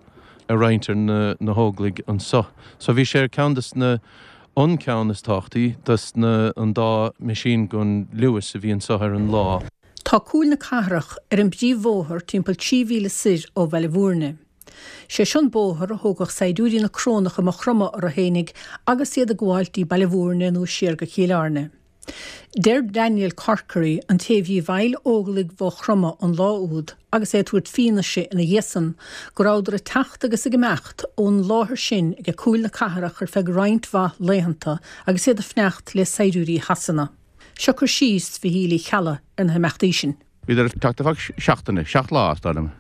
a roinnt ar na hÓglaigh anso. So bhí sé ar ceann des na, an ceann is tábhachtaí des na, an dá machine gun Lewis a bhí anso ar an lá. Tá Cúil na Cathrach ar an bpríomhbhóthar timpeall 3 mhíle soir ó Bhaile Bhúirne. Sé seo an bóthar a thógadh saighdiúirí na Corónach i Maigh Chromtha orthu fhéinig agus iad ag gabháilt dtí Baile Bhúirne nó siar go Cill Airne. Deir Daniel Corkery, an té a bhí i bhfeighil Óglaigh Mhaigh Chromtha an lá úd agus é ag tabhairt fianaise ina dhiaidh san, go rabhadar ag teacht agus ag imeacht ón láthair sin ag Cúil na Cathrach ar feadh roinnt mhaith laethanta agus iad ag fanacht le saighdiúirí Shasana. Seo cur síos Mhichíl Uí Cheallaigh ar na himeachtaí sin. Bhíodar ag teacht ar feadh seachtaine, seacht lá, is dóigh liom.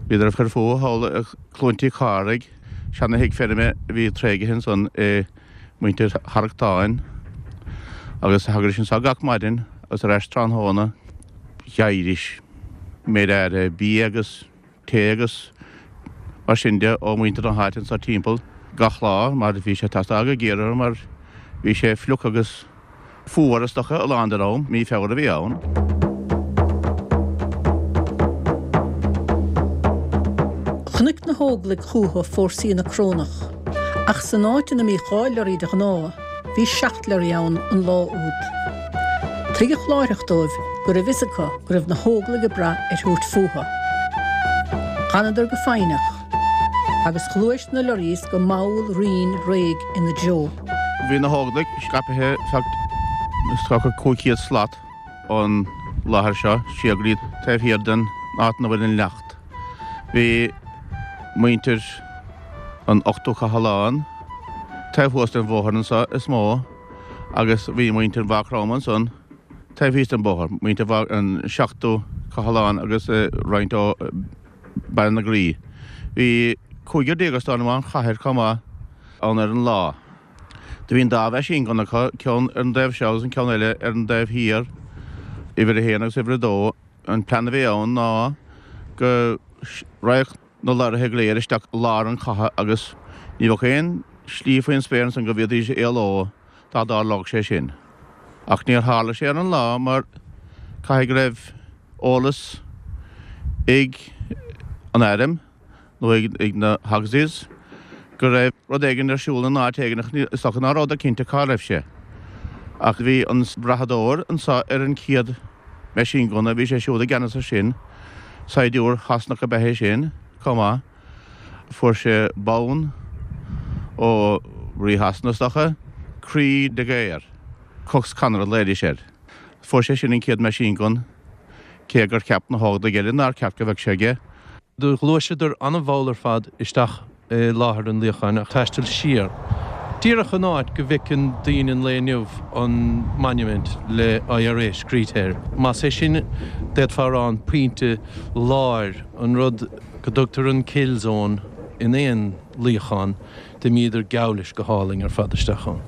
Bhíodar ag cur fúthu thall i Cluain Tí Carraig, seana-thigh feirme a bhí tréigthe ansan ag muintir Tharrachtáin agus thagaidís anso gach maidin agus ar ais tráthnóna. Gheibhidís méid áirithe bia agus tae agus mar sin de ó mhuintir na háite anso timpeall gach lá mar bhí sé ag teastáil go géar orthu mar bhí sé fliuch agus fuar is dócha a lán den am, mí Feabhra a bhí ann. Chonaic na hÓglaigh chucu fórsaí na Corónach, ach san áit ina mbíodh 2 lorraí de ghnáth, bhí 7 lorraí ann an lá úd. Tuigeadh láithreach dóibh go raibh fhios acu go raibh na hÓglaigh ag brath ar thabhairt fúthu. D'fhanadar go foighneach, agus ghluais na lorries go mall righin réidh ina dtreo. Bhí na hÓglaigh scaipthe feadh is dócha 500 slat ón láthair seo siar go dtí taobh thiar den áit ina bhfuil an leacht. Bhí muintir an Ochtú Cathlán taobh thuas den bhóthar anso is mó agus bhí muintir Mhaigh Chromtha ansan taobh thíos den bhóthar, muintir an Seachtú Cathlán agus roinnt ó Baile na Graí. Bhí 15 is dóigh liom ón chathair chomh maith ann ar an lá. Do bhí an dá mheaisín gunna acu, ceann ar an dtaobh seo agus an ceann eile ar an dtaobh thiar, uimhir a haon agus uimhir a dó. An plean a bhí ann ná go raghadh na lorraithe go léir isteach i lár an chatha agus ní bheadh aon slí faoin spéir ansan go bhféadfaidís éaló dá dtarlódh sé sin. Ach níor tharla sé ar an lá mar caithfidh go raibh eolas ag an airm nó ag na Auxies go raibh rud éigin ar siúl in áit éigin ach is dócha ná rabhadar cinnte cá raibh sé. Ach bhí an brathadóir anso ar an chéad meaisín gunna, bhí sé siúd i gceannas ar sin, saighdiúir Shasanach ab ea é sin chomh maith. Fuair sé bonn ó Rí Shasana is dócha, Croix de Guerre, Cox Connor a ghlaoidís air. Fuair sé sin an chéad meaisín gun, cé gur cheap na hÓglaigh eile nár cheart go bheadh sé aige. Do ghluaiseadar an-mhall ar fad isteach i láthair an luíocháin ach taisteal siar díreach an áit go bhfeiceann daoine an lae inniu an monument le IRA scríte air. Más é sin, d'fhéadfá a rá, an pointe láir, an rud go dtugtar an kill zone in aon luíochán, D'imíodar geall leis go hálainn ar fad isteach ann.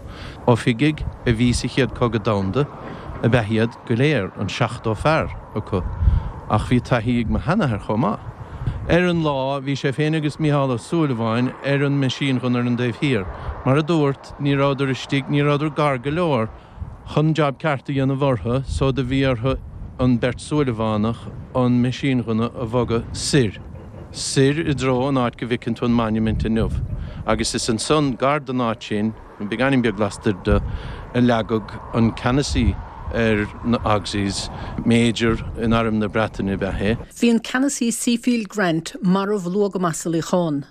Oifigigh a bhí sa Chéad Cogadh Domhanda ab ea iad go léir, an 70 fear acu, ach bhí taithí ag mo sheanathair chomh maith. Ar an lá, bhí sé féin agus Mícheál Ó Súilleabháin ar an meaisínghunna ar an dtaobh thiar. Mar a dúrt, ní rabhadar istigh, ní rabhadar gar go leor chun jab ceart a dhéanamh orthu, so do bhí orthu an beirt Súilleabhánach an meaisínghunna a bhogadh soir. Soir i dtreo an áit go bhfeiceann tú an monument inniu. Agus is ansan, gar don áit sin, nó beagáinín beag lastoir de, a leagadh an ceannasaí ar na Auxies, Major in Arm na Breataine ab ea é. Bhí an ceannasaí Seafield Grant marbh luath go maith sa luíochán,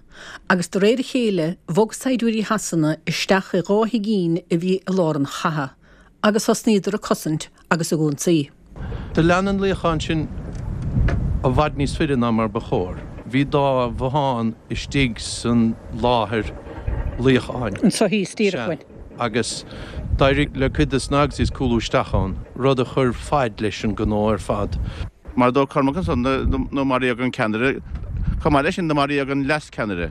agus de réir a chéile bhog saighdiúirí Shasana isteach i dá thigín a bhí i lár an chatha, agus thosnaíodar ag cosaint agus ag ionsaí. Do lean an luíochán sin i bhfad níos faide ná mar ba chóir. Bhí dá bhothán istigh san láthair luíocháin. Anso thíos díreach uainn. Agus d'éirigh le cuid de na Auxies cúlú isteach ann, rud a chuir faid leis an ngnó ar fad. Mar a dúirt Cormac ansan, do maraíodh an ceannaire, chomh maith leis sin do maraíodh an leascheannaire,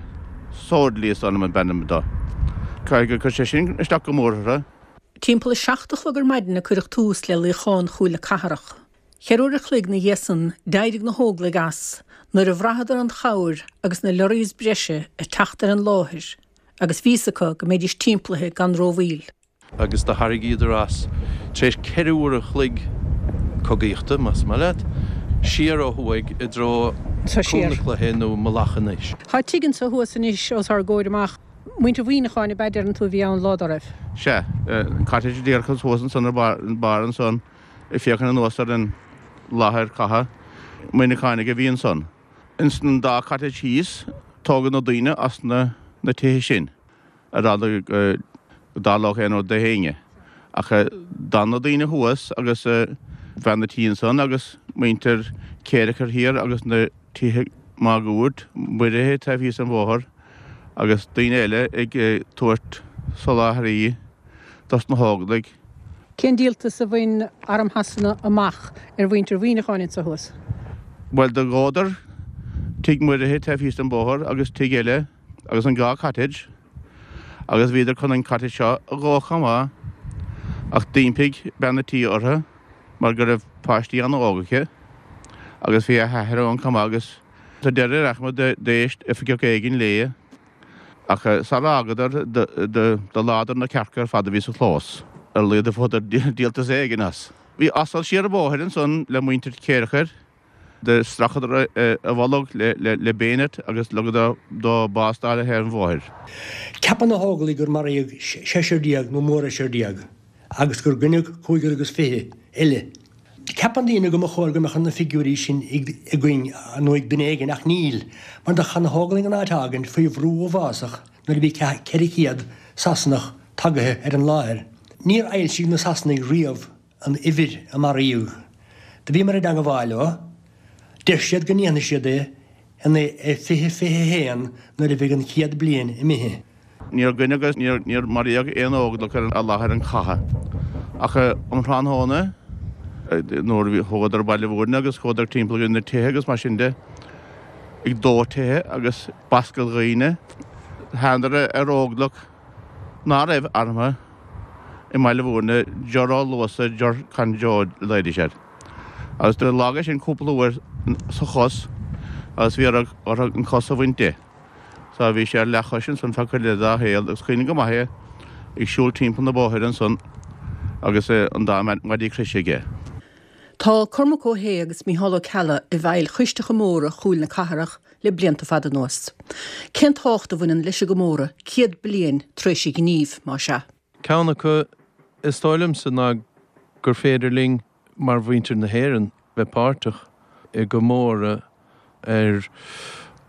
Soordley is ainm ab ainm dó. Caithfidh gur chuir sé sin isteach go mór orthu. Timpeall a 7 a chlog ar maidin a cuireadh tús le luíochán Chúil na Cathrach. Cheithre uair a chloig 'na dhiaidh san d'éirigh na hÓglaigh as nuair a bhraitheadar an chabhair agus na lorries breise ag teacht ar an láthair agus bhí fhios acu go mbeidís timpeallaithe gan rómhoill. Agus do tharraingíodar as, tar éis cheithre uair a chloig cogaíochta, más maith leat, siar ó thuaidh i dtreo Cúl na Cloiche nó Mullach anois. Tá tigh anso thuas anois os ár gcomhair amach. Muintir Mhuineacháin ab ea deireann tú a bhí ann lá dá raibh? Sea, an cottage díreach thuas ansan ar barr ansan ag féachaint anuas ar an láthair catha. Muineachánaigh a bhí ansan. Ins an dá cottage thíos tógadh na daoine as na tithe sin ar eagla go dtarlódh aon rud do éinne. Ach d'fhan na daoine thuas agus bean a' tí ansan agus muintir Chéireachair thiar agus na tithe máguaird, Muirithe taobh thíos den bhóthar agus daoine eile ag tabhairt soláthairtí dos na hÓglaigh. Cén díoltas a bhain Arm Shasana amach ar mhuintir Mhuineacháin anso thuas? Bhuel, do dhódar tigh Muirithe taobh thíos den bhóthar agus tigh eile agus an dhá cottage agus bhíodar chun an cottage seo a dhó chomh maith ach d'impigh bean a' tí orthu mar go raibh páistí an-óg aici agus bhí a hathair ann chomh maith agus sa deireadh ar aon chuma d'éist oifigeach éigin léi ach sara fhágadar do leádar na cearca ar fad a bhí sa chlós. Ar a laghad a fuaireadar díoltas éigin as. Bhí asal siar an bóthar ansan le muintir Chéireachair. Do stracadar a bholg le bayonet agus ligeadar dó bás d'fháil ar thaobh an bhóthair. Ceapann na hÓglaigh gur maraíodh seisear déag nó mórsheisear déag agus gur goineadh cúigear agus fiche eile. Ceapann daoine go mba chóir go mbeadh na figiúirí sin againn nó ag duine éigin ach níl, mar do chaith na hÓglaigh an áit a fhágaint faoi bhrú uafásach nuair a bhí 400 Sasanach tagaithe ar an láthair. Níor fhoilsigh na Sasanaigh riamh an uimhir a maraíodh. Do bhíomar i dteangabháil leo. Deir siad go ndéanfaidh siad é in 2021 nuair a bheidh an 100 bliain imithe. Níor goineadh agus níor maraíodh aon Óglach ar láthair an chatha. Ach um thráthnóna, nuair a thógadar Baile Mhúirne agus chuadar timpeall ar na tithe agus mar sin de, ag dó tithe agus bascadh dhaoine, thánadar ar Óglach ná raibh armtha i mBaile Mhúirne, Ger Ó Luasa, Ger Con Joe a ghlaoidís air. Agus do leag é sin cúpla uair sa chos agus bhí orthu an cos a bhaint de. So bhí sé ar leathchois ansan feadh cuid eile dá shaol agus cuimhním go maith é ag siúl timpeall na bóthair ansan agus an dá maidí croise aige. Tá Cormac Ó hAodha agus Mícheál Ó Ceallaigh i bhfeighil Choiste Chomóradh Chúil na Cathrach le blianta fada anuas. Cén tábhacht a bhaineann leis an gcomóradh 100 bliain tar éis an ghnímh, más ea? Ceann acu, is dóigh liomsa, ná gur féidir linn, mar mhuintir na hÉireann, bheith páirteach i gcomóradh ar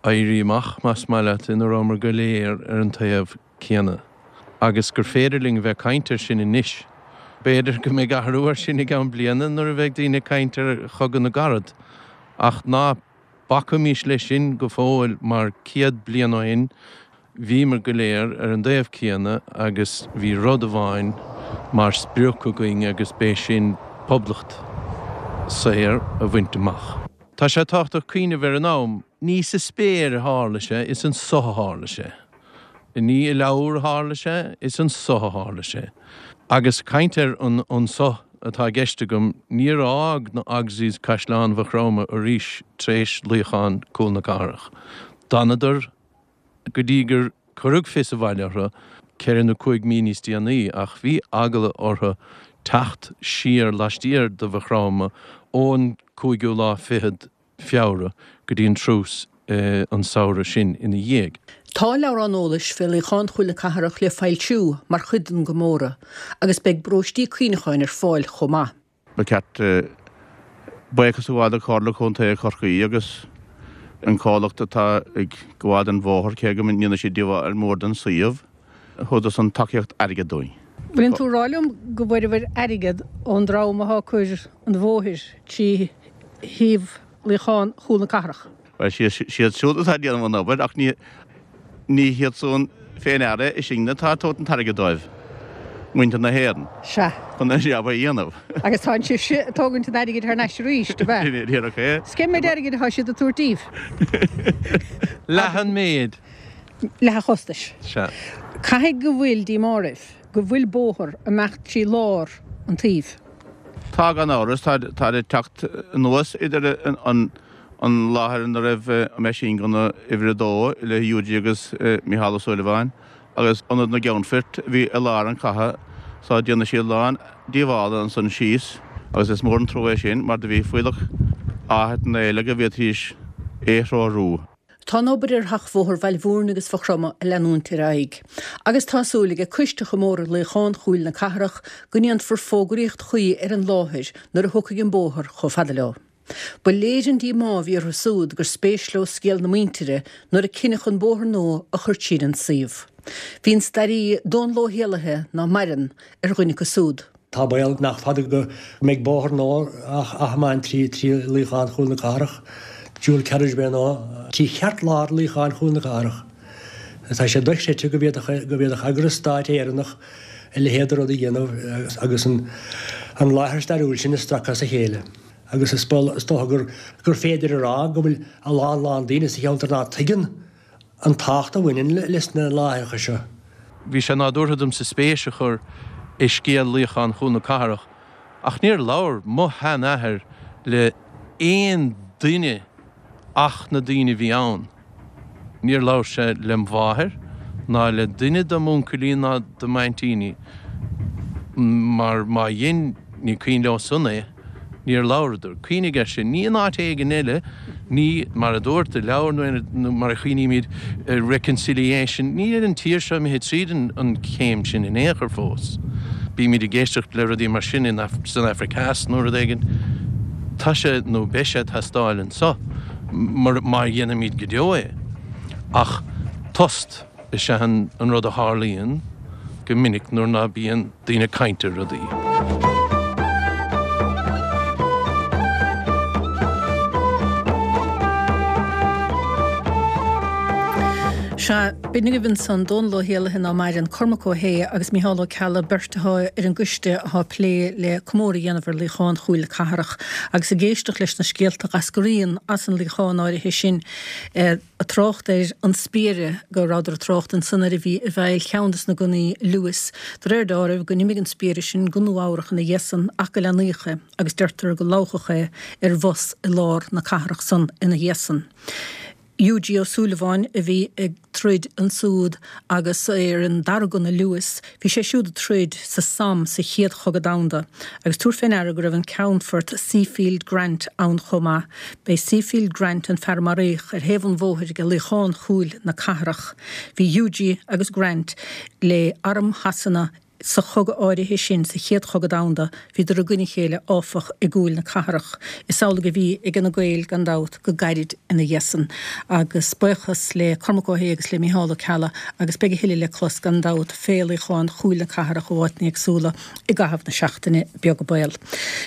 éirí amach, más maith leat, ina rabhamar go léir ar an taobh céanna. Agus gur féidir linn a bheith ag caint air sin anois. B'fhéidir go mbeidh athrú air sin i gceann bliana nuair a bheidh daoine ag caint ar Chogadh na gCarad. Ach ná bacaimis leis sin go fóill mar 100 bliain ó shin bhíomar go léir ar an dtaobh céanna agus bhí rud amháin mar sprioc againn agus b'é sin poblacht saor a bhaint amach. Tá sé tábhachtach cuimhneamh ar an am. Ní sa spéir a tharla sé, is anso a tharla sé. Ní i leabhar a tharla sé, is anso a tharla sé. Agus caint ar an anso atá i gceist agam, níor fhág na Auxies Caisleán Mhaigh Chromtha arís tar éis luíochán Cúl na Cathrach. D'fhanadar go dtí gur cuireadh fios abhaile orthu ceithre nó cúig mí níos déanaí, ach bhí eagla orthu teacht siar laistiar de Mhaigh Chromtha ón cúigiú lá fichead Feabhra go dtí an truce. an samhradh sin ina dhiaidh. Tá leabhrán eolais fé Luíochán Chúil na Cathrach le foilsiú mar chuid den gcomóradh agus beidh bróistí cuimhneacháin ar fáil chomh maith. Ba cheart buíochas a ghabháil do Chomhairle Contae Chorcaí agus an comhlacht atá ag gabháil don bhóthar, cé go ndéanfaidh siad díobháil mór don suíomh, thugadar san tacaíocht airgid dúinn. Bhfuileann tú ag rá liom go bhfuaireabhair airgead ón dream athá ag cur an bhóthair trí thaobh Luíochán Chúl na Cathrach? Bhuel, siad siúd atá ag déanamh an obair ach ní ní hiad san fé ndeara, is sinne atá ag tabhairt an t-airgead dóibh, muintir na hÉireann, Sea. chun an jab a dhéanamh. Agus tá sibhse ag tógaint an airgid thar n-ais arís, ab ea? Díreach é. 'S cén méid airgid atá siad ag tabhairt daoibh? Leath an méid. Leath an chostais. Sea. Caithfidh go bhfuil díomá oraibh go bhfuil bóthar ag imeacht trí lár an tsuímh. Tá, gan amhras. Táid ag teacht anuas idir an an láthair ina raibh meaisín gunna uimhir a dó le Hughie agus Mícheál Ó Súilleabháin agus ionad na gCeannfort a bhí i lár an chatha so déanfaidh siad a lán díobhála ansan síos agus is mór an trua é sin mar do bhí fuílleach áiteanna eile go bhféadfaidís é threorú. Tá an obair ar sheachbhóthar Bhaile Mhúirne agus Mhaigh Chromtha ag leanúint ar aghaidh agus tá súil ag Coiste Chomóradh Luíochán Chúil na Cathrach go ndéanfar fógraíocht chuí ar an láthair nuair a thiocfaidh an bóthar chomh fada leo. Ba léir an díomá a bhí orthu súd gur spéis leo scéal na muintire nuair a cinneadh an bóthar nua a chur tríd an suíomh. Bhí an staraí Dónal Ó hÉallaithe, ná maireann, ar dhuine acu súd. Tá baol nach fada go mbeidh bóthar nua á thiomáint trí Luíochán Chúil na Cathrach, dual carriageway nua, trí cheartlár Luíochán Chúil na Cathrach. Tá sé dochreidte go bhféadfadh eagras stáit Éireannach a leithéid de rud a dhéanamh agus an láthair stairiúil sin a stracadh as a chéile. Agus is dócha gur féidir a rá go bhfuil a lán lán daoine sa cheantar ná tuigeann an tábhacht a bhaineann leis na láithreacha seo. Bhí sé nádúrtha domsa spéis a chur i scéal Luíochán Chúl na Cathrach ach níor labhair mo sheanathair le aon duine ach na daoine a bhí ann. Níor labhair sé lem mháthair ná le duine de m'uncailí ná de m'aintíní, mar má dhein, ní cuimhin leo san é, níor labhradar. Cuimhnigh air sin, ní in áit éigin eile, ní, mar a dúirt, i leabhar nó mar a chuimhnímid reconciliation, níl an tír seo imithe tríd an chéim sin in aon chor fós. Bímid ag éisteacht le rudaí mar sin san Afraic Theas nó rud éigin. Tá sé nó beidh sé ag teastáil anso. má dhéanaimid go deo é. Ach tost is ea an rud a tharlaíonn go minic nuair ná bíonn daoine ag caint ar rudaí. Sea, b'in agaibh ansan Dónal Ó hÉallaithe ná maireann, Cormac Ó hAodha agus Mícheál Ó Ceallaigh, beirt atá ar an gcoiste atá ag plé le comóradh a dhéanamh ar Luíochán Chúil na Cathrach. Agus ag éisteacht leis na scéalta a dh'eascraíonn as an luíochán áirithe sin, ag trácht ar an spiaire go rabhadar ag trácht ansan air a bhí i bhfeighil cheann des na gunnaí Lewis. De réir deáraimh go n-imigh an spiaire sin go Nua Eabhrach ina dhiaidh san ach go leathnaíodh é agus deirtear go lobhadh é ar bhus i lár na cathrach san ina dhiaidh san. Hughie Ó Súilleabháin a bhí ag troid ansúd agus é ar an dara gunna Lewis, bhí sé siúd ag troid sa Somme sa Chéad Chogadh Domhanda. Agus tabhair fé ndeara go raibh an Ceannfort Seafield Grant ann chomh maith. B'é Seafield Grant an fear a maraíodh ar thaobh an bhóthair ag Luíochán Chúil na Cathrach. Bhí Hughie agus Grant le Arm Shasana Sa chogadh áirithe sin, sa Chéad Chogadh Domhanda, bhíodar i gcoinne a chéile, áfach, i gCúil na Cathrach. Is amhlaidh a bhí ag na Gaeil, gan dabht, go gairid ina dhiaidh san. Agus buíochas le Cormac Ó hAodha agus le Mícheál Ó Ceallaigh, agus beidh a thuilleadh le clos, gan dabht, fé Luíochán Chúil na Cathrach ó áiteanna éagsúla i gcaitheamh na seachtaine beaga baol.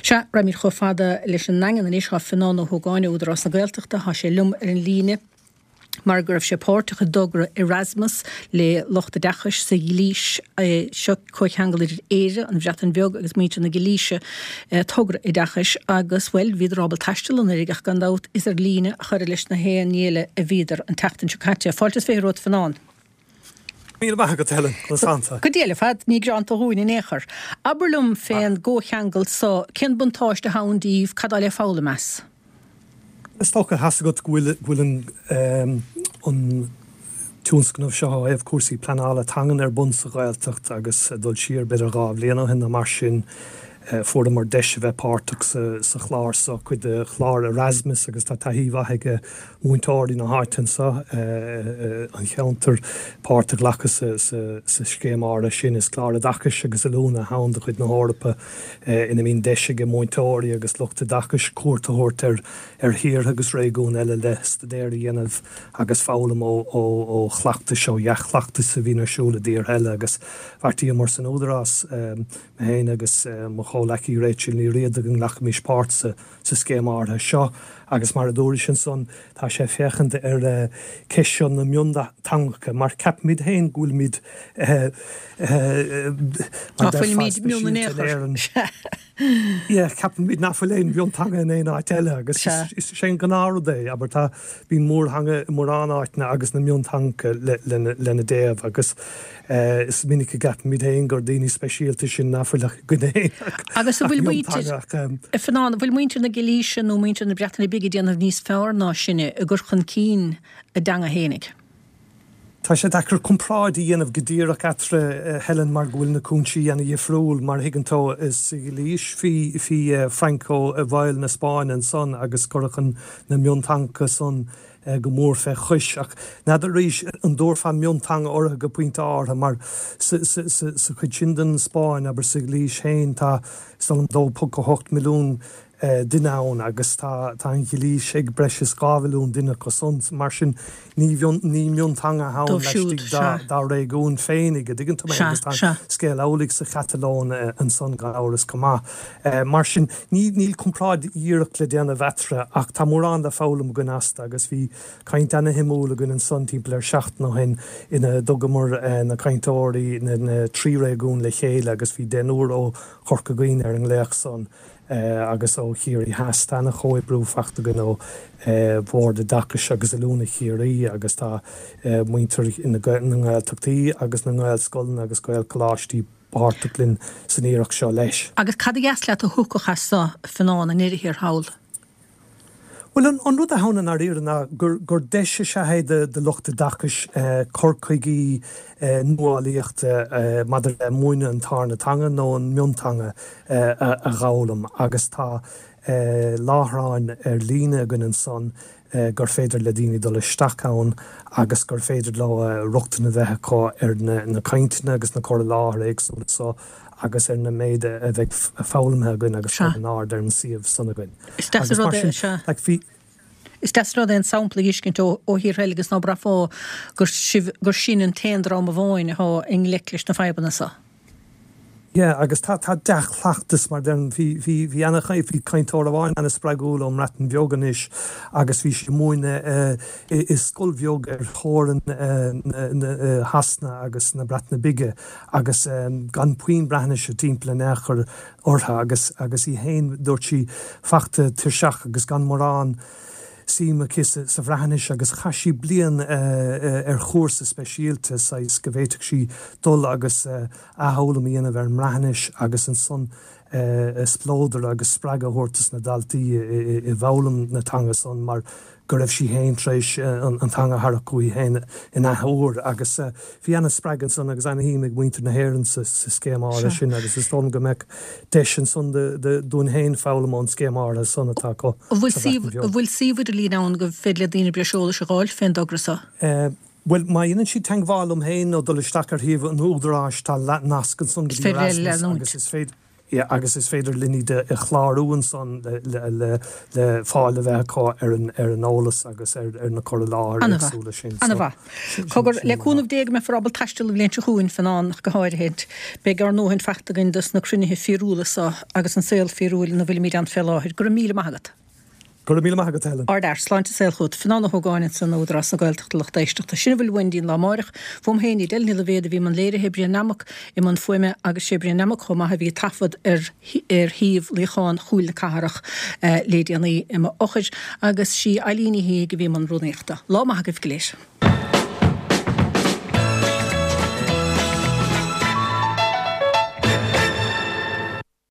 Sea, raghaimid chomh fada leis an nDaingean anois. Tá Fionán Ó hÓgáin ó Údarás na Gaeltachta, tá sé liom ar an líne. mar go raibh sé páirteach i dtogra Erasmus le lucht oideachais sa Ghailís. Seo comhcheangal idir Éire, an Bhreatain Bheag agus muintir na Gailíse, togra oideachais agus, bhuel, bhíodar ábalta taisteal anuraidh ach gan dabht is ar líne a chuireadh leis na haon ní eile a bhíodar an tseachtain seo caite. Fáilte is 20 romhat Fionán. Míle maith agat, Helen. Conas tánn tú? Go diail ar fad, ní greanta dhúinn in aon chor. Abair liom fén gcomhcheangal so, cén buntáiste atá ann díbh, cad tá le foghlaim as? Is dócha, tá's agat go bhfuil an tionscnamh seo ó thaobh cúrsaí pleanála teangan ar bun sa Ghaeltacht agus ag dul siar b'fhéidir 2 bhliain ó shin nó mar sin. Fuaireamar deis a bheith páirteach sa chlár seo, cuid de chlár Erasmus agus tá taithí mhaith ag múinteoirí na háite anseo, an cheantair, páirt a ghlacadh sa scéim áirithe sin. Is clár oideachais agus oiliúna atá ann de chuid na hEorpa ina mbíonn deis ag múinteoirí agus lucht oideachais cuairt a thabhairt ar thíortha agus réigiúin eile le staidéar a dhéanamh agus foghlaim ó chleachtais, ó dhea-chleachtais a bhíonn ar siúl i dtíortha eile agus bheartaíomar san Údarás, Mé féin agus mo chomhleacaí Rachel Ní Riada go nglacfaimis páirt sa scéim áirithe seo agus mar a dúrais ansan tá sé ag féachaint ar ceist seo na mionteangacha mar ceapaimid féin go bhfuilimid mar Ná deirfeá fuilimid mion in speisialta aon in chor. Éirinn. Yeah, ceapaimid nach bhfuil aon mhionteanga in aon áit eile agus is é an gnáthrud é, abair tá, bíonn mórtheanga i mórán áiteanna agus na mionteangacha lena dtaobh agus Is minic a gceapaimid féin gur daoine speisialta sinn nach bhfuil ach againn féin ach Agus an bhfuil muintir, mionteanga ach. a Fhionnáin, an bhfuil muintir na Gailíse nó muintir na Breataine Bige ag déanamh níos fearr ná sinne i gcur chun cinn a dteanga fhéinig? Tá sé deacair comparáid a dhéanamh go díreach eatarthu, Helen, mar go bhfuil na cúinsí ana-dhifriúil. Mar a thuigeann tú, sa Ghailís bhí Franco i bhfeighil na Spáinne ansan agus cuireadh na mionteangacha san go mór fé chois. Ach n'fheadar arís an dtabharfá mionteanga orthu go pointe áirithe, mar sa chuid sin den Spáinn, abair sa Ghailís féin, tá, is dóigh liom, 2.8 milliún duine ann agus tá an Ghailís ag breis is 2 mhilliún duine acu san. Mar sin, ní mionteanga atá ann Dóibh siúd, laistigh sea. dá réigiún féinig, a dtuigeann tú mé, Sea, agus tá an sea. scéal amhlaidh sa Chatalóin ansan gan amhras chomh maith. Mar sin, níl comparáid dhíreach le déanamh eatarthu ach tá mórán le foghlaim againn astu agus bhí caint ana-shuimiúil againn ansan timpeall ar seachtain ó shin ina dtugamar na cainteoirí na dtrí réigiún le chéile agus bhí deichniúr ó Chorca Dhuibhne ar an nglaoch san agus ó Chiarraí Theas. Tá ana-chomhoibriú faighte againn ó Bhord Oideachais agus Oiliúna Chiarraí agus tá muintir na nGaeltachtaí agus na nGaelscoileanna agus Gaelcholáistí páirteach linn san iarracht seo leis. Agus cad a dheas leat a thiocfadh as so, a Fhionnáin, i ndeireadh thiar thall? Bhuel, an rud atá ann i ndáiríre ná gur deis is ea é do lucht oideachais cur chuigí nuálaíochta maidir le múineadh an tarna teanga nó an mionteanga a dh'fhoghlaim agus tá láithreáin ar líne againn ansan gur féidir le daoine dul isteach ann agus gur féidir leo rochtain a bheith acu ar na cainteanna agus na cur i láthair éagsúla so agus ar na méid a bheidh foghlamtha againn agus curtha in airde ar an suíomh san againn. Is deas Agus an mar rud é, sin, sea. like, bhí. Is deas an rud é an sampla a fheiscint ó thíortha eile agus ná braithfeá gur sibh, gur sinn an t-aon dream amháin atá i ngleic leis na fadhbanna so. Yeah, agus tá, tá dea-chleachtas mar deirim, bhí, bhí, bhí ana, bhí cainteoir amháin ana-spreagúil ón mBreatain Bheag anois agus bhí sí ag múineadh i, i scoil bheag ar theorainn na, Shasana agus na Breataine Bige agus gan puinn Breatnaise timpeall in aon chor uirthi agus, agus í féin, dúirt sí, fachta tuirseach agus gan mórán suim aici sa Bhreatnais agus chaith sí bliain ar chúrsa speisialta, saghas, go bhféadfadh sí dul agus athfhoghlaim a dhéanamh ar an mBreatnais agus ansan spleodar agus spreagadh a thabhairt dos na daltaí i bhfoghlaim na teanga san mar go raibh sí féin tar éis an teanga a tharrac uaithi féin in athuair agus bhí ana-spreagadh ansan agus ana-shuim ag muintir na hÉireann sa scéim áirithe sin agus is dóigh liom go mbeadh deis ansan dúinn féin foghlaim ón scéim áirithe san atá acu An sa Bhreatain Bheag. bhfuil suíomh idirlín ann go féidir le daoine breis eolais a dh'fháil fén dtogra so? Bhuel, má dhéanann siad teagmháil liom féin nó dul isteach ar shuíomh an Údaráis tá nasc ansan go Is dtí féidir le Erasmus leanúint. agus is féidir yeah agus is féidir linn iad a chlárú ansan le le le fáil a bheith acu ar an ar an eolas agus ar ar na cur i láthair Ana-mhaith. éagsúla sin. So Ana-mhaith. sin Cogar, sin le an cúnamh Dé go mbeifear ábalta taisteal an bhliain seo chugainn, Fionnán, ach go háirithe. Beidh ár ndóthain faighte againn dos na cruinnithe fíorúla so agus an saol fíorúil ina bhfuilimid ann fé láthair. Go raibh míle maith agat. Go raibh míle maith agat, Helen. Ardfhear. Sláinte is saol chugat. Fionnán Ó hÓgáin ansan ó Údarás na Gaeltachta lucht éisteachta. Sin a bhfuil uainn go dtí an lá amáireach. Fúm féin Edel Ní Loibhéad a bhí i mbun léirithe, Brian Nammock i mbun fuaime agus sé Brian Nammock chomh maith a bhí ag taifead ar ar shuíomh luíochán Chúil na Cathrach le déanaí i m'fhochair agus sí Eileen Ní Shíthigh a bhí i mbun rúnaíochta. Lá maith agaibh go léir.